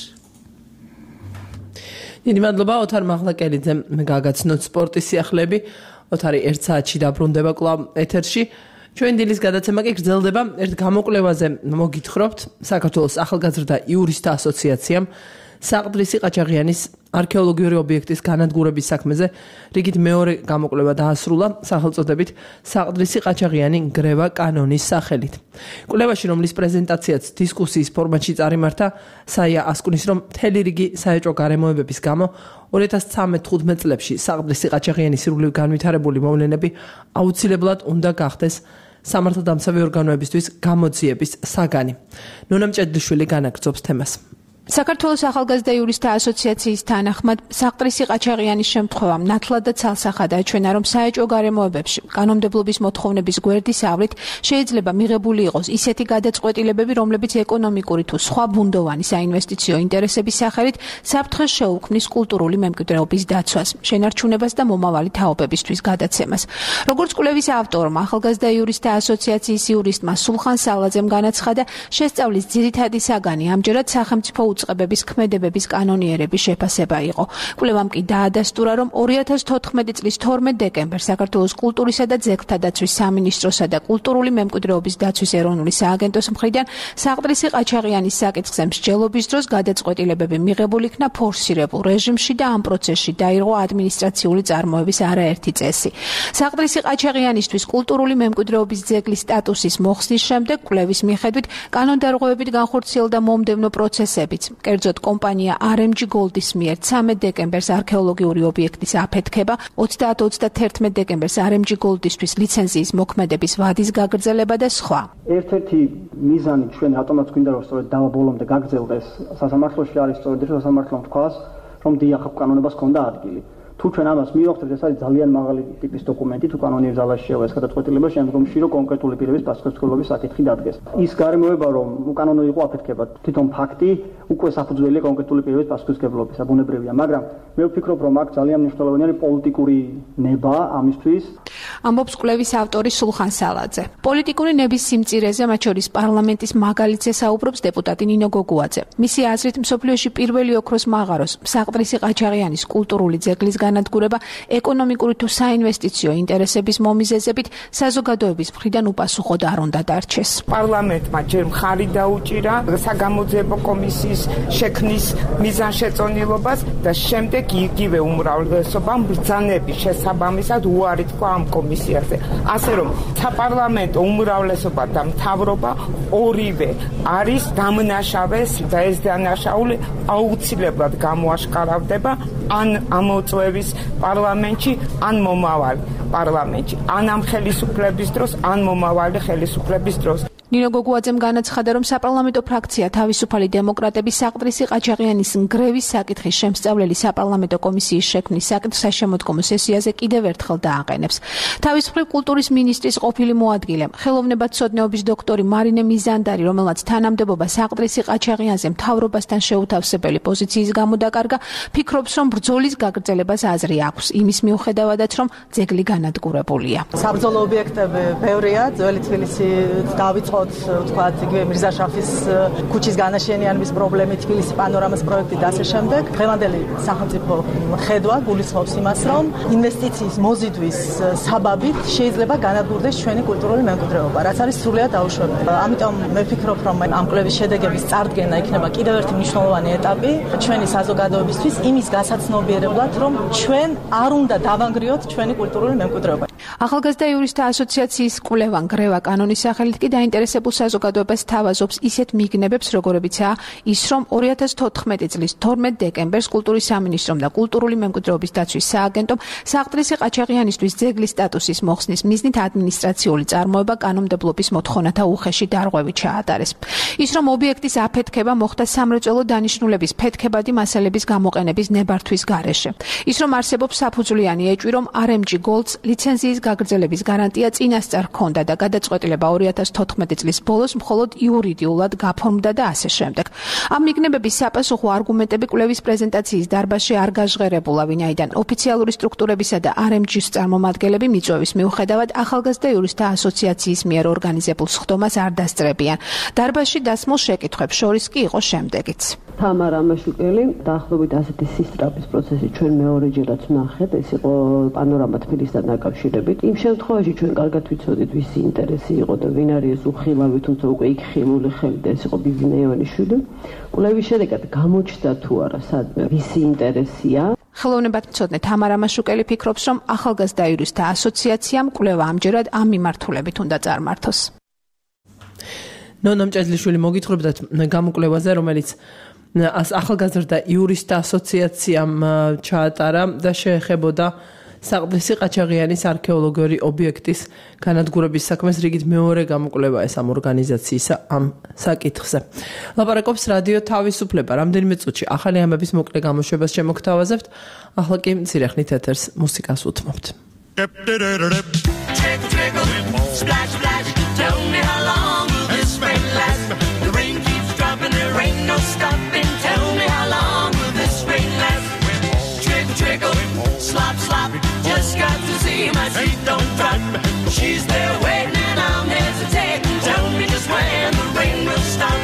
დიდი მადლობა ოთარ მაღლაკელიძემ გაგაცნოთ სპორტის სიახლეები. ოთარი ერთ საათში დაბრუნდება კვლავ ეთერში. ჩვენ დილის გადაცემა კი გრძელდება. ერთ გამოკვლევაზე მოგითხრობთ. საქართველოს ახალგაზრდა იურისტთა ასოციაციამ საყდრისი ყაჩაღიანის არქეოლოგიური ობიექტის განადგურების საქმეზე რიგით მეორე გამოკვლევა დაასრულა სახელწოდებით საყდრისი ყაჩაღიანი ნგრევა კანონის სახელით. კვლევაში, რომლის პრეზენტაციაც დისკუსიის ფორმატში წარიმართა, საია ასკუნის, რომ მთელი რიგი საეჭვო გარემოებების გამო ორი ათას თხუთმეტ წლებში საყდრისი ყაჩაღიანის სრული განვითარებული მოვლენები აუცილებლად უნდა გახდეს სამართალდამცავი ორგანოებისთვის გამოძიების საგანი. ნონა მჭედლიშვილი განაგრძობს თემას. საქართველოს ახალგაზრდა იურისტთა ასოციაციის თანახმად საყდრისი ყაჩაღიანის შემთხვევამ ნათლად და ცალსახად აჩვენა, რომ საეჭვო გარემოებებში კანონმდებლობის მოთხოვნების გვერდისავლით შეიძლება მიღებული იყოს ისეთი გადაწყვეტილებები, რომლებიც ეკონომიკური თუ სხვა ბუნდოვანი საინვესტიციო ინტერესების სახელით საფრთხეს შეუქმნის კულტურული მემკვიდრეობის დაცვას, შენარჩუნებას და მომავალი თაობებისთვის გადაცემას. როგორც კვლევის ავტორმა, ახალგაზრდა იურისტთა ასოციაციის იურისტმა სულხან სალაძემ განაცხადა, შესწავლის ძირითადი საგანი ამჯერად სახელმწიფო უწყებების ქმედებების კანონიერების შეფასება იყო. კვლევამ კი დაადასტურა, რომ ორი ათას თოთხმეტი წლის თორმეტ დეკემბერს საქართველოს კულტურისა და ძეგლთა დაცვის სამინისტროსა და კულტურული მემკვიდრეობის დაცვის ეროვნული სააგენტოს მხრიდან საყდრისი ყაჩაღიანის საკითხზე მსჯელობის დროს გადაწყვეტილებები მიღებული იქნა ფორსირებულ რეჟიმში და ამ პროცესში დაირღვა ადმინისტრაციული წარმოების არაერთი წესი. საყდრისი ყაჩაღიანისთვის კულტურული მემკვიდრეობის ძეგლის სტატუსის მოხსნის შემდეგ კვლევის მიხედვით კანონდარღვევებით განხორციელდა მომდევნო პროცესებიც. კერძოდ კომპანია არ ემ ჯი Gold-ის მიერ ცამეტ დეკემბერს არქეოლოგიური ობიექტის აფეთქება, ოცდაათ ოცდათერთმეტ დეკემბერს არ ემ ჯი Gold-ისთვის ლიცენზიის მოქმედების ვადის გაგრძელება და სხვა. ერთ-ერთი მიზანი ჩვენ ავტომატს გვინდა რომ სწორედ დავა ბოლომდე გაგრძელდეს სასამართლოში არის სწორედ ეს სასამართლომ თქვას, რომ დიახ კანონებას ჰქონდა ადგილი. თუ ჩვენ ამას მივახცევთ, ეს არის ძალიან მაღალი ტიპის დოკუმენტი, თუ კანონიერ ზალაში შევა ეს გადაწყვეტილება, შემდგომში რომ კონკრეტული პირების პასუხისმგებლობის საკითხი დადგეს. ის გარემოება რომ უკანონო იყო აფეთქება, თვითონ ფაქტი უკვე საფუძველია კონკრეტული პირების პასუხისმგებლობისა, ბუნებრივია, მაგრამ მე ვფიქრობ, რომ აქ ძალიან მნიშვნელოვანია პოლიტიკური ნება ამისთვის. ამბობს კვლევის ავტორი სულხან სალაძე. პოლიტიკური ნების სიმწირეზე, მათ შორის პარლამენტის მაგალითზე საუბრობს დეპუტატი ნინო გოგუაძე. მისი აზრით, მსოფლიოში პირველი ოქროს მაღაროს, საყდრისი ყაჩაღიანის კულტურული ძეგლის განადგურება ეკონომიკური თუ საინვესტიციო ინტერესების მომიზეზებით საზოგადოების მხრიდან უპასუხოდ არ უნდა დარჩეს. პარლამენტმა ჯერ მხარი დაუჭირა საგამოძიებო კომისიის შექმნის მიზანშეწონილობას და შემდეგ იგივე უმრავლესობამ ბრძანების შესაბამისად უარი თქვა ამ კომისიაზე. ასე რომ საპარლამენტო უმრავლესობა და მთავრობა ორივე არის დამნაშავე და ეს დანაშაული აუცილებლად გამოაშკარავდება ან ამოწვევის პარლამენტში, ან მომავალი პარლამენტში, ან ამ ხელისუფლების დროს, ან მომავალი ხელისუფლების დროს. ნინო გოგუაძემ განაცხადა, რომ საპარლამენტო ფრაქცია თავისუფალი დემოკრატების საყდრისი ყაჩაღიანის ნგრევის საკითხის შემსწავლელი საპარლამენტო კომისიის შექმნის საკითხს საშემოდგომო სესიაზე კიდევ ერთხელ დააყენებს. თავის მხრივ კულტურის მინისტრის ყოფილი მოადგილე, ხელოვნებათმცოდნეობის დოქტორი მარინე მიზანდარი, რომელმაც თანამდებობა საყდრისი ყაჩაღიანზე მთავრობასთან შეუთავსებელი პოზიციის გამო დაკარგა, ფიქრობს, რომ ბრძოლის გაგრძელებას აზრი აქვს, იმის მიუხედავადაც, რომ ძეგლი განადგურებულია. საბრძოლო ობიექტები ბევრია, ძველი თბილისი დავიწყო თქვათ იგივე მირზაშაფის ქუჩის განაშენიანების პრობლემით, თბილისის პანორამას პროექტი და ასე შემდეგ. დღევანდელი სახელმწიფო ხედვა გულისხმობს იმას, რომ ინვესტიციის მოზიდვის საბაბით შეიძლება განადგურდეს ჩვენი კულტურული მემკვიდრეობა, რაც არის სრულიად დაუშვებელი. ამიტომ მე ვფიქრობ, რომ ამ კვლევის შედეგების წარდგენა იქნება კიდევ ერთი მნიშვნელოვანი ეტაპი ჩვენი საზოგადოებისთვის იმის გასაცნობიერებლად, რომ ჩვენ არ უნდა დავანგრიოთ ჩვენი კულტურული მემკვიდრეობა. ახალგაზრდა იურისტთა ასოციაციის კვლევა ნგრევა კანონის სახელით კი დაინტერესებულ საზოგადოებას თავაზობს ისეთ მიგნებებს, როგორებიცაა ის, რომ ორი ათას თოთხმეტი წლის თორმეტ დეკემბერს კულტურის სამინისტრომ და კულტურული მემკვიდრეობის დაცვის სააგენტომ საყდრისი ყაჩაღიანისთვის ძეგლის სტატუსის მოხსნის მიზნით ადმინისტრაციული წარმოება კანონმდებლობის მოთხოვნათა უხეში დარღვევით ჩაატარეს. ის, რომ ობიექტის აფეთქება მოხდა სამრეწველო დანიშნულების ფეთქებადი მასალების გამოყენების ნებართვის გარეშე. ის, რომ არსებობს საფუძვლიანი ეჭვი, რომ არ ემ ჯი Gold's ლიცენზიის გაგრძელების გარანტია წინასწარ ჰქონდა და გადაწყვეტილება ორი ათას თოთხმეტი წლის ბოლოს მხოლოდ იურიდიულად გაფორმდა და ასე შემდეგ. ამ მიგნებების საპასუხო არგუმენტები კვლევის პრეზენტაციის დარბაზში არ გაჟღერებულა, ვინაიდან ოფიციალური სტრუქტურებისა და არ ემ ჯის წარმომადგენლები მიწვევის მიუხედავად ახალგაზრდა იურისტთა ასოციაციის მიერ ორგანიზებულ სხდომას არ დასწრებიან. დარბაზში დასმულ შეკითხვებს შორის კი იყო შემდეგიც. თამარა ამაშუკელი, დაახლოებით ასეთი სისწრაფის პროცესი ჩვენ მეორეჯერაც ვნახეთ, ეს იყო პანორამა თბილისთან დაკავშირებით. იმ შემთხვევაში ჩვენ კარგად ვიცოდით, ვისი ინტერესი იყო და ვინ არის ეს უხილავი, თუმცა უკვე იქ ხილული ხელი და ეს იყო ბიბინა ივანიშვილი. კვლევის შედეგად გამოჩნდა თუ არა სადმე ვისი ინტერესია. ხელოვნებათმცოდნე თამარა ამაშუკელი ფიქრობს, რომ ახალგაზრდა იურისტთა ასოციაციამ კვლევა ამჯერად ამ მიმართულებით უნდა წარმართოს. ნონო მჭედლიშვილი მოგითხრობდათ გამოკვლევაზე, რომელიც ახალგაზრდა იურისტთა ასოციაციამ ჩაატარა და შეეხებოდა საყდრისი ყაჩაღიანის არქეოლოგიური ობიექტის განადგურების საქმეს. რიგით მეორე გამოკვლევა ეს ამ ორგანიზაციისა ამ საკითხზე. ლაპარაკობს რადიო თავისუფლება. რამდენიმე წუთში ახალი ამების მოკლე გამოშვებას შემოგთავაზებთ. ახლა კი მცირე ხნით ეთერს მუსიკას უთმობთ. She's there waiting and I'm hesitating. Tell me just when the rain will stop.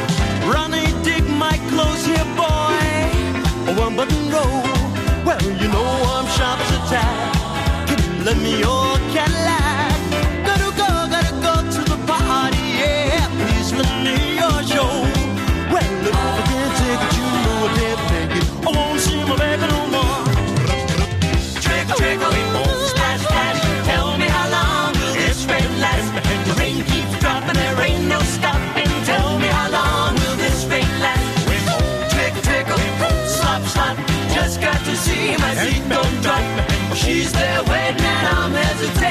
Ronnie, dig my clothes here, boy. One button roll. Well, you know I'm sharp as a tack. Can you lend me your Cadillac? Gotta go, gotta go to the party, yeah. Please lend me your show. Well, if I can't take it, you know I can't take it. I won't see my baby no more. Trickle, trickle, splash, splash. Tell me how long this rain last. The rain keeps dropping, there ain't no stopping. Tell me how long will this rain last? Trickle, trickle, slop, slop. Just got to see my seat don't drop. She's there waiting and I'm hesitating.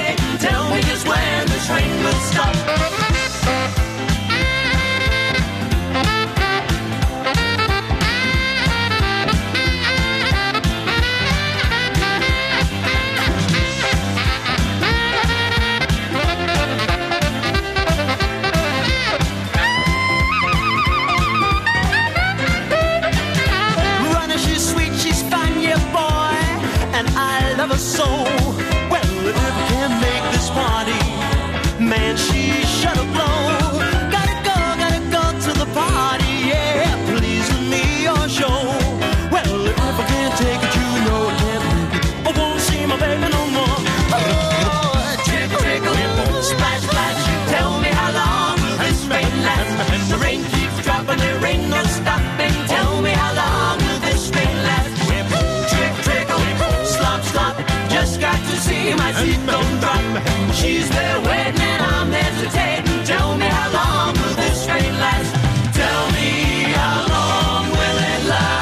She's there waiting and I'm hesitating. Tell me how long will this rain last? Tell me how long will it last?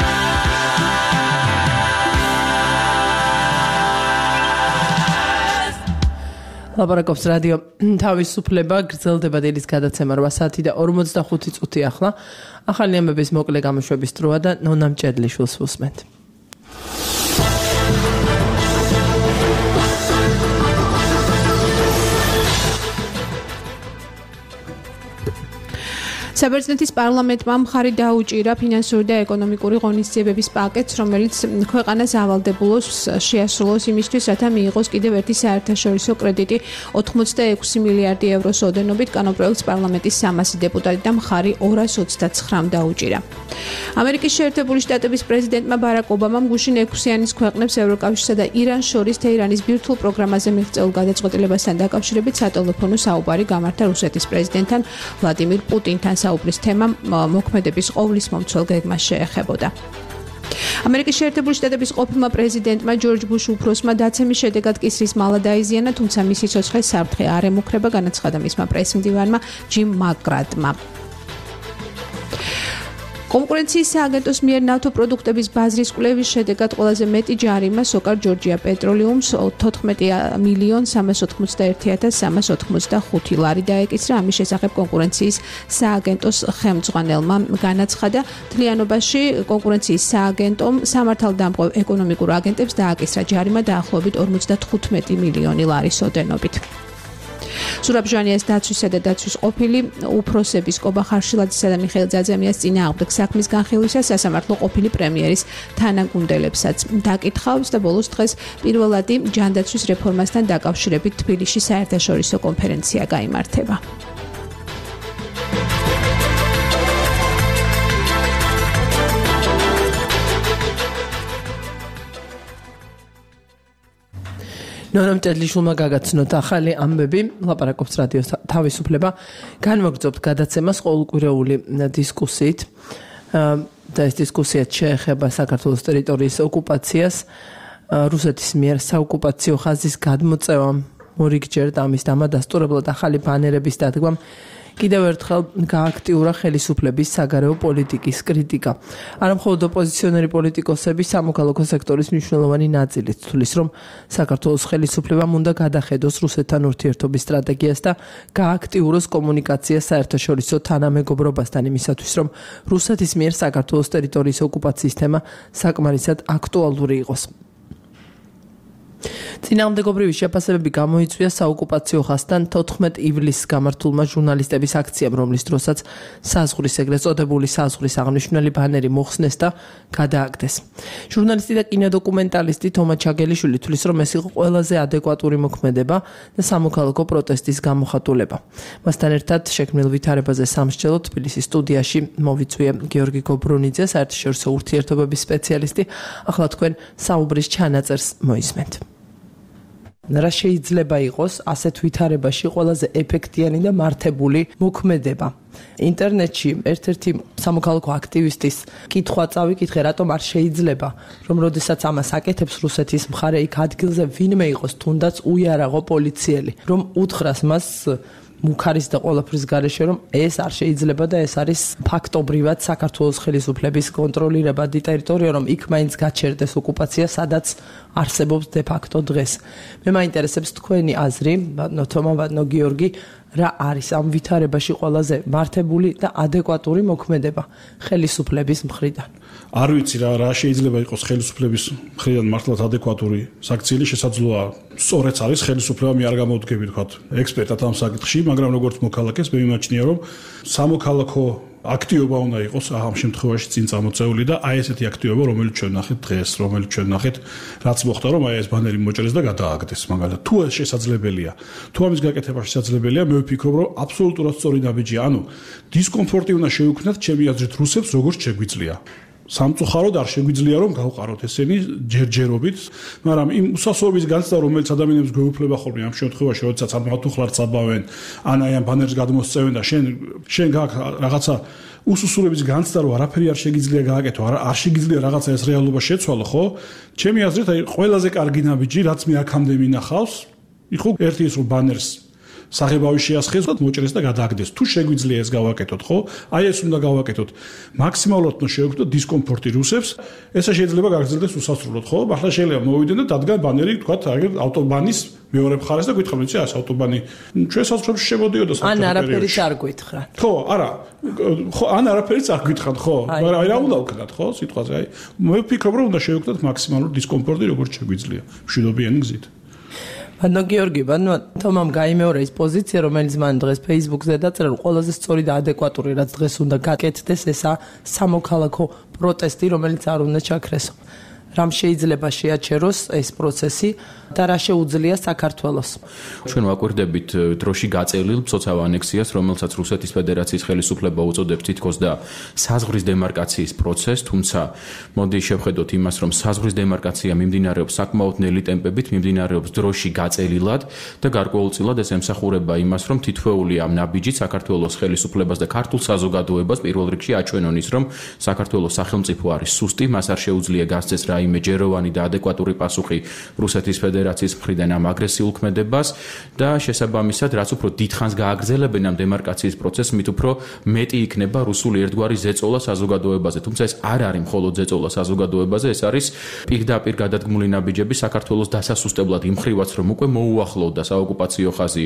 ლაპარაკობს რადიო თავისუფლება, გრძელდება დილის გადაცემა რვა საათი და ორმოცდახუთი წუთი ახლა. ახალი ამბების მოკლე გამოშვების დროა და ნონა მჭედლიშვილს ვუსმენთ. საბერძნეთის პარლამენტმა მხარი დაუჭირა ფინანსური და ეკონომიკური ღონისძიებების პაკეტს, რომელიც ქვეყანას ავალდებულოს შეასრულოს იმისთვის, რათა მიიღოს კიდევ ერთი საერთაშორისო კრედიტი ოცდაექვსი მილიარდი ევროს ოდენობით. კანონპროექტს პარლამენტის სამასი დეპუტატი და მხარი ორას ოცდაცხრამ დაუჭირა. ამერიკის შეერთებული შტატების პრეზიდენტმა ბარაკ ობამამ გუშინ ექვსიანის ქვეყნებს ევროკავშირსა და ირანს შორის თეირანის ბირთვულ პროგრამაზე მიღწეულ გადაწყვეტილებასთან დაკავშირებით სატელეფონო საუბარი გამართა რუსეთის პრეზიდენტთან ვლადიმირ პუტინთან. საუბრის თემა მოქმედების ყოვლის მომცველ გეგმას შეეხებოდა. ამერიკის შეერთებული შტატების ყოფილმა პრეზიდენტმა ჯორჯ ბუში უფროსმა დაცემის შედეგად კისრის მალა დაიზიანა, თუმცა მისი ცოცხლი საფრთხე არ ემუქრება, განაცხადა მისმა პრეს-მდივანმა ჯიმ მაკგრადმა. კონკურენციის სააგენტოს მიერ ნავთო პროდუქტების ბაზრის კვლევის შედეგად ყველაზე მეტი ჯარიმა სოკარ ჯორჯია პეტროლიუმს თოთხმეტი მილიონ სამას ოთხმოცდაერთი ათას სამას ოთხმოცდახუთი ლარი დაეკისრა. ამის შესახებ კონკურენციის სააგენტოს ხელმძღვანელმა განაცხადა, მთლიანობაში კონკურენციის სააგენტომ სამართალდამღებ ეკონომიკურ აგენტებს დააკისრა ჯარიმა დაახლოებით ორმოცდათხუთმეტი მილიონი ლარის ოდენობით. სურაბ ჟანიას დაცვისა და დაცვის ყოფილი უფროსების კობა ხარშილაძისა და მიხეილ ძაძემიას წინააღმდეგ საქმის განხილვისას სასამართლო ყოფილი პრემიერის თანაგუნდელებსაც დაკითხავს და ბოლოს დღეს პირველადი ჯანდაცვის რეფორმასთან დაკავშირებით თბილისში საერთაშორისო კონფერენცია გაიმართება. ნონა მჭედლიშვილმა გაგაცნოთ ახალი ამბები, ლაპარაკობს რადიო თავისუფლება. განვაგრძობთ გადაცემას ყოველკვირეული დისკუსიით და ეს დისკუსია შეეხება საქართველოს ტერიტორიის ოკუპაციას, რუსეთის მიერ საოკუპაციო ხაზის გადმოწევამ, მორიგჯერ და ამის დამადასტურებლად ახალი ბანერების დადგმამ კიდევ ერთხელ გააქტიურა ხელისუფლების საგარეო პოლიტიკის კრიტიკა. არამხოლოდ ოპოზიციონერი პოლიტიკოსები, სამოქალაქო სექტორის მნიშვნელოვანი ნაწილიც თვლის, რომ საქართველოს ხელისუფლებამ უნდა გადახედოს რუსეთთან ურთიერთობის სტრატეგიას და გააქტიუროს კომუნიკაცია საერთაშორისო თანამეგობრობასთან იმისათვის, რომ რუსეთის მიერ საქართველოს ტერიტორიის ოკუპაციის თემა საკმარისად აქტუალური იყოს. წინააღმდეგობრივი შეფასებები გამოიწვია საოკუპაციო ხაზთან თოთხმეტ ივლისს გამართულმა ჟურნალისტების აქციამ, რომლის დროსაც საზღვრის ეგრეთ წოდებული საზღვრის აღნიშნული ბანერი მოხსნეს და გადააგდეს. ჟურნალისტი და კინოდოკუმენტალისტი თომა ჩაგელიშვილი თვლის, რომ ეს იყო ყველაზე ადეკვატური მოქმედება და სამოქალაქო პროტესტის გამოხატულება. მასთან ერთად შექმნილ ვითარებაზე სამსჯელო თბილისის სტუდიაში მოვიწვია გიორგი გობრუნიძე, საერთაშორისო ურთიერთობების სპეციალისტი. ახლა თქვენ საუბრის ჩანაწერს მოისმენთ. რა შეიძლება იყოს ასეთ ვითარებაში ყველაზე ეფექტიანი და მართებული მოქმედება? ინტერნეტში ერთ-ერთი სამოქალაქო აქტივისტის კითხვა წავიკითხე, რატომ არ შეიძლება, რომ როდესაც ამას აკეთებს რუსეთის მხარე, იქ ადგილზე ვინმე იყოს, თუნდაც უიარაღო პოლიციელი, რომ უთხრას მას მუქარის და ყველაფრის გარეშე, რომ ეს არ შეიძლება და ეს არის ფაქტობრივად საქართველოს ხელისუფლების კონტროლირებადი ტერიტორია, რომ იქ მაინც გაჩერდეს ოკუპაცია, სადაც არსებობს de facto დღეს. მე მაინტერესებს თქვენი აზრი, ბატონო თომა, ბატონო გიორგი, რა არის ამ ვითარებაში ყველაზე მართებული და ადეკვატური მოქმედება ხელისუფლების მხრიდან? არ ვიცი რა რა შეიძლება იყოს ხელისუფლების მხრიდან მართლაც ადეკვატური საქციელი, შესაძლოა სწორედ არის ხელისუფლება, მე არ გამოვდგები თქვა ექსპერტად ამ საკითხში, მაგრამ როგორც მოქალაქეს მე მიმაჩნია, რომ სამოქალაქო აქტივობა უნდა იყოს ამ შემთხვევაში წინ წამოწეული და აი ესეთი აქტივობა, რომელიც ჩვენ ნახეთ დღეს, რომელიც ჩვენ ნახეთ, რაც მოხდა, რომ აი ეს ბანერი მოჭრეს და გადააგდეს, მაგალითად, თუ ეს შესაძლებელია, თუ ამის გაკეთება შესაძლებელია, მე ვფიქრობ, რომ აბსოლუტურად სწორი ნაბიჯია, ანუ დისკომფორტი უნდა შევქმნათ ჩემი აზრით რუსებს, როგორც შეგვიძლია. სამწუხაროდ არ შეგვიძლია რომ გავყაროთ ესენი ჯერჯერობით, მაგრამ იმ უსასრულობის განცდა, რომელიც ადამიანებს გვეუფლება ხოლმე ამ შემთხვევაში, როდესაც ამ მათუხლარს აბავენ, ან აი ამ ბანერს გადმოსწევენ და შენ შენ გაქვს რაღაცა უსუსურების განცდა, რომ არაფერი არ შეგიძლია გააკეთო, არ არ შეგიძლია რაღაცა ეს რეალობა შეცვალო, ხო? ჩემი აზრით, აი ყველაზე კარგი ნაბიჯი, რაც მე აქამდე მინახავს, იხო ერთი ის რომ ბანერს საღებავი შეასხეს და მოჭრეს და გადააგდეს. თუ შეგვიძლია ეს გავაკეთოთ, ხო? აი ეს უნდა გავაკეთოთ. მაქსიმალურად უნდა შევექმნოთ დისკომფორტი რუსებს. ესა შეიძლება გაგრძელდეს უსასრულოდ, ხო? ახლა შეიძლება მოვიდნენ და დადგან ბანერი, თქვათ, აგერ ავტობანის მეორე მხარეს და გითხრათ, იცი, ეს ავტობანი ჩვენ საზღვრებში შემოდიოდა საფრთხე. ან არაფერიც არ გითხრათ. ხო, არა. ხო, ან არაფერიც არ გითხრათ, ხო? მაგრამ აი რა უნდა ვქნათ, ხო? სიტყვაზე აი მე ვფიქრობ, რომ უნდა შევექმნოთ მაქსიმალური დისკომფორტი, როგორც შეგვიძლია, მშვიდობიანი გზით. ბანო გიორგი, ბანო თომამ გაიმეორე ის პოზიცია, რომელიც მან დღეს Facebook-ზე დაწერა, რომ ყველაზე სწორი და ადეკვატური რაც დღეს უნდა გაკეთდეს, ესა სამოქალაქო პროტესტი, რომელიც არ უნდა ჩაქრესო. რამ შეიძლება შეაჩეროს ეს პროცესი და რა შეუძლია საქართველოს. ჩვენ ვაკვირდებით დროში გაწევლილ მცოცავ ანექსიას, რომელსაც რუსეთის ფედერაციის ხელისუფლება უწოდებს თითქოს და საზღვრის დემარკაციის პროცესს, თუმცა მოდი შევხედოთ იმას, რომ საზღვრის დემარკაცია მიმდინარეობს საკმაოდ ნელი ტემპებით, მიმდინარეობს დროში გაწელილად და გარკვეულწილად ეს ემსახურება იმას, რომ თითოეული ამ ნაბიჯით საქართველოს ხელისუფლებას და ქართულ საზოგადოებას პირველ რიგში აჩვენონ ის, რომ საქართველოს სახელმწიფო არის სუსტი, მას არ შეუძლია გასცეს რაიმე ჯეროვანი და ადეკვატური პასუხი რუსეთის ფედერაციის მხრიდან ამ აგრესიულ ქმედებას და შესაბამისად, რაც უფრო დიდხანს გააგრძელებენ ამ დემარკაციის პროცესს, მით უფრო მეტი იქნება რუსული ერთგვარი ზეწოლა საზოგადოებაზე. თუმცა ეს არ არის მხოლოდ ზეწოლა საზოგადოებაზე, ეს არის პირდაპირ გადადგმული ნაბიჯები საქართველოს დასასუსტებლად იმ ხრივაც, რომ უკვე მოუახლოვდა საოკუპაციო ხაზი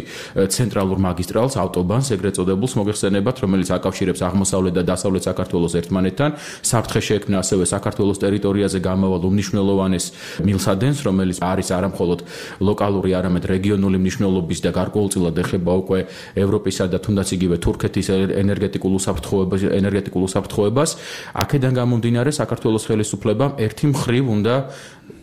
ცენტრალურ მაგისტრალს, ავტობანს, ეგრეთ წოდებულს მოგეხსენებათ, რომელიც აკავშირებს აღმოსავლეთ და დასავლეთ საქართველოს ერთმანეთთან. საფრთხე შეექმნა ასევე საქართველოს ტერიტორიაზე გამავალ უმნიშვნელოვანეს მილსადენს, რომელიც არის არა მხოლოდ ლოკალური, არამედ რეგიონული მნიშვნელობის და გარკვეულწილად ეხება უკვე ევროპისა და თუნდაც იგივე თურქეთის ენერგეტიკულ უსაფრთხოებას, ენერგეტიკულ უსაფრთხოებას. აქედან გამომდინარე, საქართველოს ხელისუფლებამ ერთი მხრივ უნდა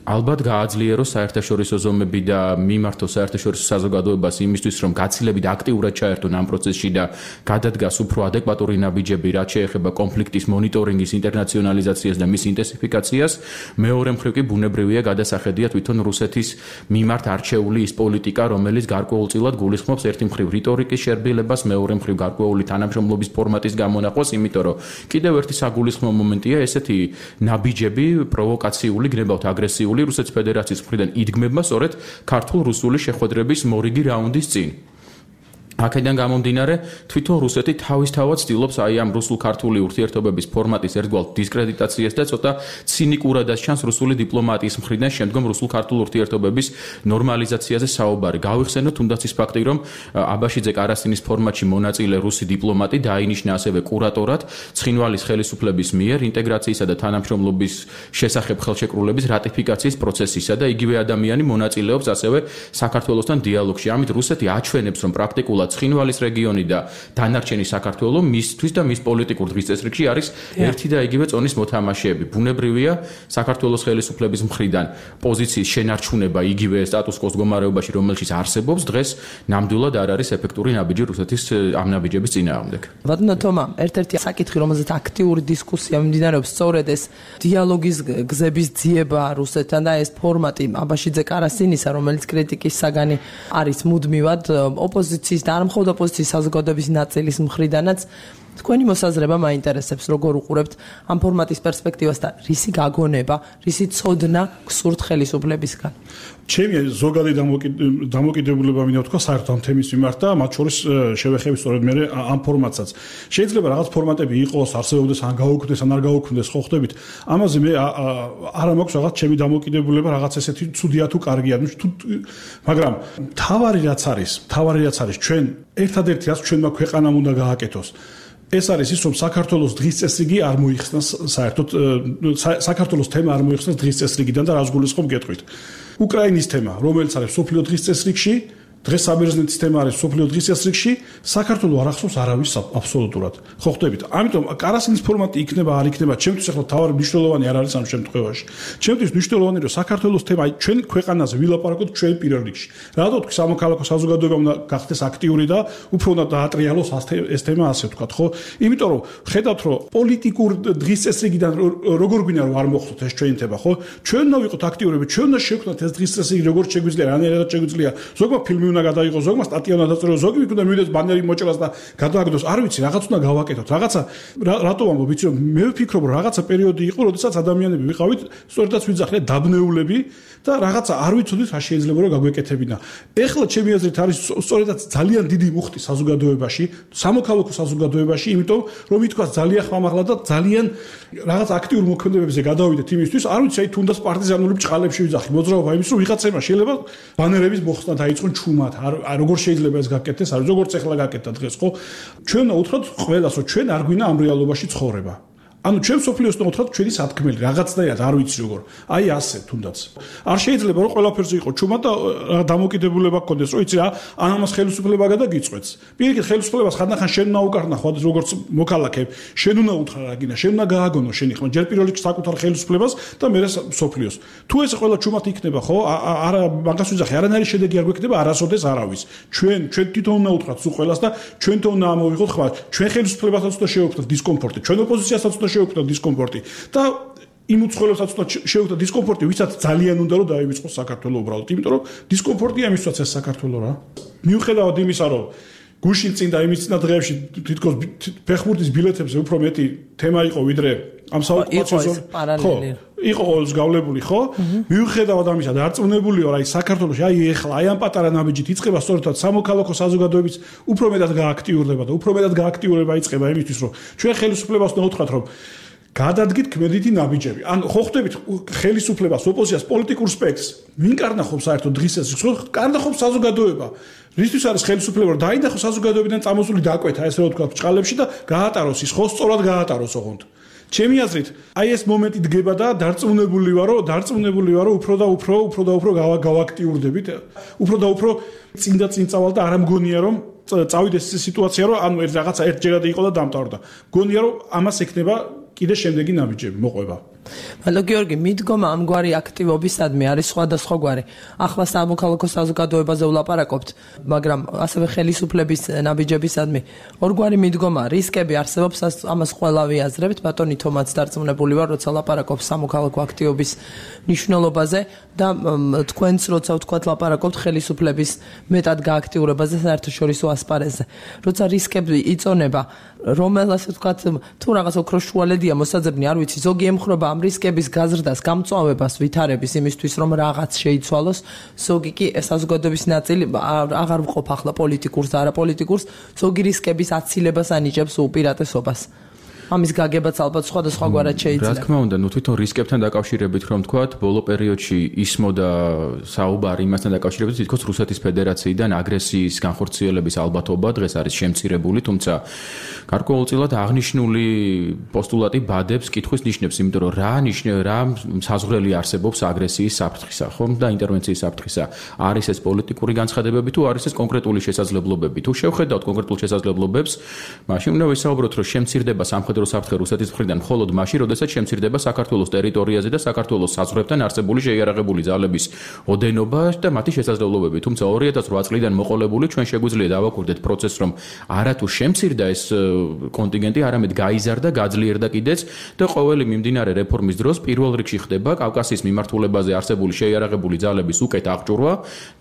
ალბათ გააძლიეროს საერთაშორისო ზომები და მიმართოს საერთაშორისო საზოგადოებას იმისთვის, რომ გაცილებით აქტიურად ჩაერთონ ამ პროცესში და გადადგას უფრო ადეკვატური ნაბიჯები, რაც შეეხება კონფლიქტის მონიტორინგის ინტერნაციონალიზაციას და მის ინტენსიფიკაციას. მეორე მხრივ კი ბუნებრივია გადასახედია თვითონ რუსეთის მიმართ არჩეული ის პოლიტიკა, რომელიც გარკვეულწილად გულისხმობს ერთი მხრივ რიტორიკის შერბილებას, მეორე მხრივ გარკვეული თანამშრომლობის ფორმატის გამონაყვას, იმიტომ რომ კიდევ ერთი საგულისხმო მომენტია ესეთი ნაბიჯები, პროვოკაციული, გნებავთ აგრესიული რუსეთის ფედერაციის მხრიდან იდგმება სწორედ ქართულ-რუსული შეხვედრების მორიგი რაუნდის წინ. აქედან გამომდინარე, თვითონ რუსეთი თავისთავად ცდილობს აი ამ რუსულ-ქართული ურთიერთობების ფორმატის ერთგვარ დისკრედიტაციას და ცოტა ცინიკურადაც ჩანს რუსული დიპლომატიის მხრიდან შემდგომ რუსულ-ქართულ ურთიერთობების ნორმალიზაციაზე საუბარი. გავიხსენოთ თუნდაც ის ფაქტი, რომ აბაშიძე კარასინის ფორმატში მონაწილე რუსი დიპლომატი დაინიშნა ასევე კურატორად ცხინვალის ხელისუფლების მიერ ინტეგრაციისა და თანამშრომლობის შესახებ ხელშეკრულების რატიფიკაციის პროცესისა და იგივე ადამიანი მონაწილეობს ასევე საქართველოსთან დიალოგში. ამით რუსეთი აჩვენებს, რომ პრაქტიკულად ცხინვალის რეგიონი და დანარჩენი საქართველო მისთვის და მის პოლიტიკურ დღის წესრიგში არის ერთი და იგივე წონის მოთამაშეები. ბუნებრივია საქართველოს ხელისუფლების მხრიდან პოზიციის შენარჩუნება იგივე სტატუს-კვოს მდგომარეობაში, რომელშიც არსებობს დღეს ნამდვილად არ არის ეფექტური ნაბიჯი რუსეთის ამ ნაბიჯების წინააღმდეგ. ბატონო თომა, ერთ-ერთი საკითხი, რომელზეც აქტიური დისკუსია მიმდინარეობს, სწორედ ეს დიალოგის გზების ძიება რუსეთთან და ეს ფორმატი აბაშიძე კარასინისა, რომელიც კრიტიკის საგანი არის მუდმივად ოპოზიციის და არ მხოლოდ ოპოზიციის საზოგადოების ნაწილის მხრიდანაც. თქვენი მოსაზრება მაინტერესებს, როგორ უყურებთ ამ ფორმატის პერსპექტივას და რისი გაგონება, რისი ცოდნა გსურთ ხელისუფლებისგან? ჩემი ზოგადი დამოკიდებულება მინდა ვთქვა საერთოდ ამ თემის მიმართ და მათ შორის შევეხები სწორედ მე ამ ფორმატსაც. შეიძლება რაღაც ფორმატები იყოს, არსებობდეს, ან გაუქმდეს, ან არ გაუქმდეს, ხო ხვდებით? ამაზე მე არ მაქვს რაღაც ჩემი დამოკიდებულება, რაღაც ესეთი ცუდია თუ კარგია, თუ მაგრამ თავარი რაც არის, თავარი რაც არის, ჩვენ ერთადერთი რაც ჩვენმა ქვეყანამ უნდა გააკეთოს. ეს არის ის, რომ საქართველოს დღის წესრიგი არ მოიხსნას საერთოდ საქართველოს თემა არ მოიხსნას დღის წესრიგიდან და რას გულისხმობ გეტყვით. უკრაინის თემა, რომელიც არის სოფლიო დღის წესრიგში, დღეს საბერძნეთის თემა არის სოფლიო დღის წესრიგში, საქართველოს არ ახსოვს არავის აბსოლუტურად. ხო ხვდებით? ამიტომ კარასინის ფორმატი იქნება, არ იქნება, ჩემთვის ახლა თავარი მნიშვნელოვანი არ არის ამ შემთხვევაში. ჩემთვის მნიშვნელოვანი რომ საქართველოს თემა, აი ჩვენ ქვეყანაზე ვილაპარაკოთ ჩვენ პირველ რიგში. რატო თქვი სამოქალაქო საზოგადოება უნდა გახდეს აქტიური და უფრო უნდა დაატრიალოს ეს თემა ასე ვთქვათ, ხო? იმიტომ რომ ხედავთ რომ პოლიტიკურ დღის წესრიგიდან როგორ გვინდა რომ არ მოხდოთ ეს ჩვენი თემა, ხო? ჩვენ უნდა ვიყოთ აქტიურები, ჩვენ უნდა შევქმნათ ეს დღის წესრიგი როგორც შეგვიძლია, რანაირად შეგვიძლია. ზოგმა ფილმი უნდა გადაიღოს ზოგმა, სტატია უნდა დაწეროს ზოგი, იქ უნდა მივიდეს ბანერი მოჭრას და გადააგდოს. არ ვიცი, რაღაც უნდა გავაკეთოთ. რაღაცა რატო ვამბობ, ვიცი რომ მე ვფიქრობ, რომ რაღაცა პერიოდი იყო, როდესაც ადამიანები ვიყავით, სწორედაც ვიძახნეთ დაბნეულები და რაღაცა არ ვიცოდით რა შეიძლება რომ გაგვეკეთებინა. ეხლა ჩემი აზრით არის სწორედაც ძალიან დიდი მუხტი საზოგადოებაში, სამოქალაქო საზოგადოებაში, იმიტომ რომ ითქვა ძალიან ხმამაღლა და ძალიან რაღაც აქტიურ მოქმედებებზე გადავიდეთ იმისთვის, არ ვიცი, აი თუნდაც პარტიზანული ბჭყალებში ვიძახი, მოძრაობა იმის რომ ვიღაცებმა შეიძლება ბანერების მოხსნა დაიწყონ ჩუმად, არ როგორ შეიძლება ეს გაკეთდეს, არ როგორც ეხლა გაკეთდა დღეს, ხო? ჩვენ უთხრათ ყველას, რომ ჩვენ არ გვინა ამ რეალობაში ცხოვრება. ანუ ჩვენ სოფლიოს უნდა უთხრათ ჩვენი სათქმელი, რაღაცნაირად არ ვიცი როგორ. აი ასე თუნდაც. არ შეიძლება რომ ყველაფერზე იყო ჩუმად და დამოკიდებულება გქონდეს, რომ იცი რა, ამას ხელისუფლება გადაგიწყვეტს. პირიქით ხელისუფლებას ხანდახან შენ უნდა უკარნა ხო როგორც მოქალაქე, შენ უნდა უთხრა რა გინდა, შენ უნდა გააგონო შენი ხმა, ჯერ პირველ რიგში საკუთარ ხელისუფლებას და მერე სოფლიოს. თუ ეს ყველა ჩუმად იქნება, ხო? არა მაგას ვიძახი, არანაირი შედეგი არ გვექნება არასოდეს არავის. ჩვენ ჩვენ თვითონ უნდა უთხრათ სულ ყველას და ჩვენ თვითონ უნდა ამოვიღოთ ხმა, ჩვენ ხელისუფლებასაც უნდა შევხვდეთ დისკომფორტი, ჩვენ ოპოზიციასაც უნდა შევხვდეთ დისკომფორტი და იმ უცხოელებსაც უნდა შევხვდეთ დისკომფორტი, ვისაც ძალიან უნდა რომ დაივიწყოს საქართველოს უბრალოდ, იმიტომ რომ დისკომფორტია მისვაც ეს საქართველოს რა. მიუხედავად იმისა, რომ გუშინ წინ და იმის წინა დღეებში თითქოს ფეხბურთის ბილეთებზე უფრო მეტი თემა იყო ვიდრე ამ საოკუპაციო პარალელი. იყო ყოველს გავლებული, ხო? მიუხედავად ამისა, დარწმუნებული ვარ, აი საქართველოში, აი ეხლა, აი ამ პატარა ნაბიჯით იწყება სწორედ სამოქალაქო საზოგადოების უფრო მეტად გააქტიურდება და უფრო მეტად გააქტიურება იწყება იმისთვის, რომ ჩვენ ხელისუფლებას უნდა უთხრათ, რომ გადადგით ქმედითი ნაბიჯები. ან ხო ხვდებით ხელისუფლებას, ოპოზიციას, პოლიტიკურ სპექტრს, ვინ კარნახობს საერთოდ დღის ეს, კარნახობს საზოგადოება. რისთვის არის ხელისუფლება, რომ დაინახოს საზოგადოებიდან წამოსული დაკვეთა, ესე რომ ვთქვა, ბჭყალებში და გაატაროს ის, ხო, სწორად გაატაროს ოღონდ. ჩემი აზრით, აი ეს მომენტი დგება და დარწმუნებული ვარო, დარწმუნებული ვარო, უფრო და უფრო, უფრო და უფრო გავაქტიურდებით, უფრო და უფრო წინ და წინ წავალ და არ მგონია რომ წავიდეს ეს სიტუაცია, რომ ანუ ერთ რაღაცა ერთჯერადი იყო და დამტარდა. მგონია რომ ამას ექნება კიდე შემდეგი ნაბიჯები მოყვება. მადლობ გიორგი, მიდგომა ამგვარი აქტივობისადმი არის სხვადასხვაგვარი. ახლა სამოქალაქო საზოგადოებაზე ვლაპარაკობთ, მაგრამ ასევე ხელისუფლების ნაბიჯებისადმი ორგვარი მიდგომა, რისკები არსებობს, ამას ყველა ვიაზრებთ. ბატონი თომაც დარწმუნებული ვარ, როცა ლაპარაკობს სამოქალაქო აქტივობის მნიშვნელობაზე და თქვენც როცა ვთქვათ ლაპარაკობთ ხელისუფლების მეტად გააქტიურებაზე საერთაშორისო ასპარეზზე. როცა რისკები იწონება, რომელას ვთქვათ, თუ რაღაც ოქროს შუალედია მოსაძებნი, არ ვიცი, ზოგი ემხრობა ამ რისკების გაზრდას, გამწვავებას, ვითარების იმისთვის, რომ რაღაც შეიცვალოს, ზოგი კი საზოგადოების ნაწილი აღარ ვყოფ ახლა პოლიტიკურს და არაპოლიტიკურს, ზოგი რისკების აცილებას ანიჭებს უპირატესობას. ამის გაგებაც ალბათ სხვადასხვაგვარად შეიძლება. რა თქმა უნდა, ნუ თვითონ რისკებთან დაკავშირებით რომ თქვათ, ბოლო პერიოდში ისმოდა საუბარი იმასთან დაკავშირებით, თითქოს რუსეთის ფედერაციიდან აგრესიის განხორციელების ალბათობა დღეს არის შემცირებული, თუმცა გარკვეულწილად აღნიშნული პოსტულატი ბადებს კითხვის ნიშნებს, იმიტომ რომ რა ნიშნე რა საზღვრელი არსებობს აგრესიის საფრთხისა, ხომ და ინტერვენციის საფრთხისა. არის ეს პოლიტიკური განცხადებები თუ არის ეს კონკრეტული შესაძლებლობები? თუ შევხედავთ კონკრეტულ შესაძლებლობებს, მაშინ უნდა ვისაუბროთ, რომ შემცირდება სამხედრო საფრთხე რუსეთის მხრიდან მხოლოდ მაშინ, როდესაც შემცირდება საქართველოს ტერიტორიაზე და საქართველოს საზღვრებთან არსებული შეიარაღებული ძალების ოდენობა და მათი შესაძლებლობები. თუმცა ორი ათას რვა წლიდან მოყოლებული ჩვენ შეგვიძლია დავაკვირდეთ პროცესს, რომ არა თუ შემცირდა ეს კონტინგენტი, არამედ გაიზარდა, გაძლიერდა კიდეც და ყოველი მიმდინარე რეფორმის დროს პირველ რიგში ხდება კავკასიის მიმართულებაზე არსებული შეიარაღებული ძალების უკეთ აღჭურვა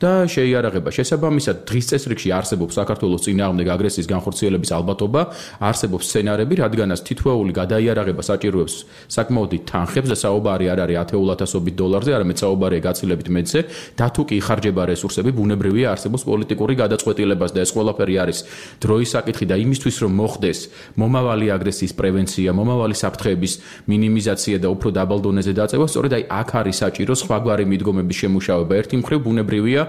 და შეიარაღება. შესაბამისად, დღის წესრიგში არსებობს საქართველოს წინააღმდეგ აგრესიის განხორციელების ალბათობა, არსებობს სცენარები, რადგანაც თითოეული გადაიარაღება საჭიროებს საკმაოდ თანხებს და საუბარი არ არის ათეულათასობით დოლარზე, არამედ საუბარია გაცილებით მეტზე და თუ კი იხარჯება რესურსები, ბუნებრივია არსებობს პოლიტიკური გადაწყვეტილებას და ეს ყველაფერი არის დროის საკითხი და იმისთვის რომ მოხდეს მომავალი აგრესიის პრევენცია, მომავალი საფრთხეების მინიმიზაცია და უფრო დაბალ დონეზე დაწევა, სწორედ აი აქ არის საჭირო სხვაგვარი მიდგომების შემუშავება. ერთი მხრივ ბუნებრივია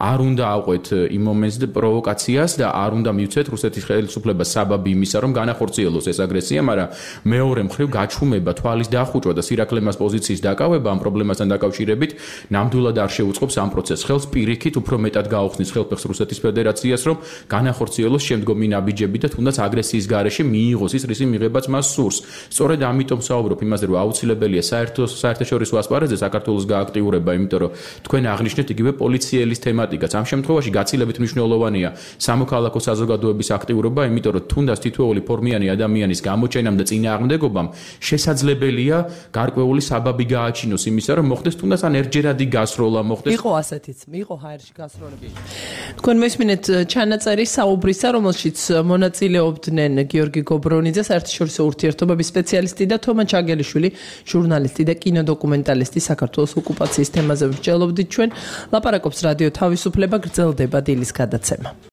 არ უნდა აყვეთ იმ მომენტზე პროვოკაციას და არ უნდა მივცეთ რუსეთის ხელისუფლებას საბაბი იმისა, რომ განახორციელოს ეს აგრესია, მაგრამ მეორე მხრივ გაჩუმება, თვალის დახუჭვა და სირაქლემას პოზიციის დაკავება ამ პრობლემასთან დაკავშირებით ნამდვილად არ შეუწყობს ამ პროცესს ხელს, პირიქით უფრო მეტად გაუხსნის ხელფეხს რუსეთის ფედერაციას, რომ განახორციელოს შემდგომი ნაბიჯები და თუნდაც აგრესიის გარეშე მიიღოს ის რისი მიღებაც მას სურს. სწორედ ამიტომ საუბრობ იმაზე, რომ აუცილებელია საერთო საერთაშორისო ასპარეზზე საქართველოს გააქტიურება, იმიტომ რომ თქვენ აღნიშნეთ იგივე პოლიციელის თემატიკაც. ამ შემთხვევაში გაცილებით მნიშვნელოვანია სამოქალაქო საზოგადოების აქტიურობა, იმიტომ რომ თუნდაც თითოეული ფორმიანი ადამიანის გამოჩენა აღმოჩენამ და წინააღმდეგობამ შესაძლებელია გარკვეული საბაბი გააჩინოს იმისა, რომ მოხდეს თუნდაც ან ერთჯერადი გასროლა მოხდეს. იყო ასეთიც, იყო ჰაერში გასროლები. თქვენ მესმინეთ ჩანაწერი საუბრისა, რომელშიც მონაწილეობდნენ გიორგი გობრონიძე, საერთაშორისო ურთიერთობების სპეციალისტი და თომა ჩაგელიშვილი, ჟურნალისტი და კინოდოკუმენტალისტი საქართველოს ოკუპაციის თემაზე ვსჯელობდით ჩვენ. ლაპარაკობს რადიო თავისუფლება, გრძელდება დილის გადაცემა.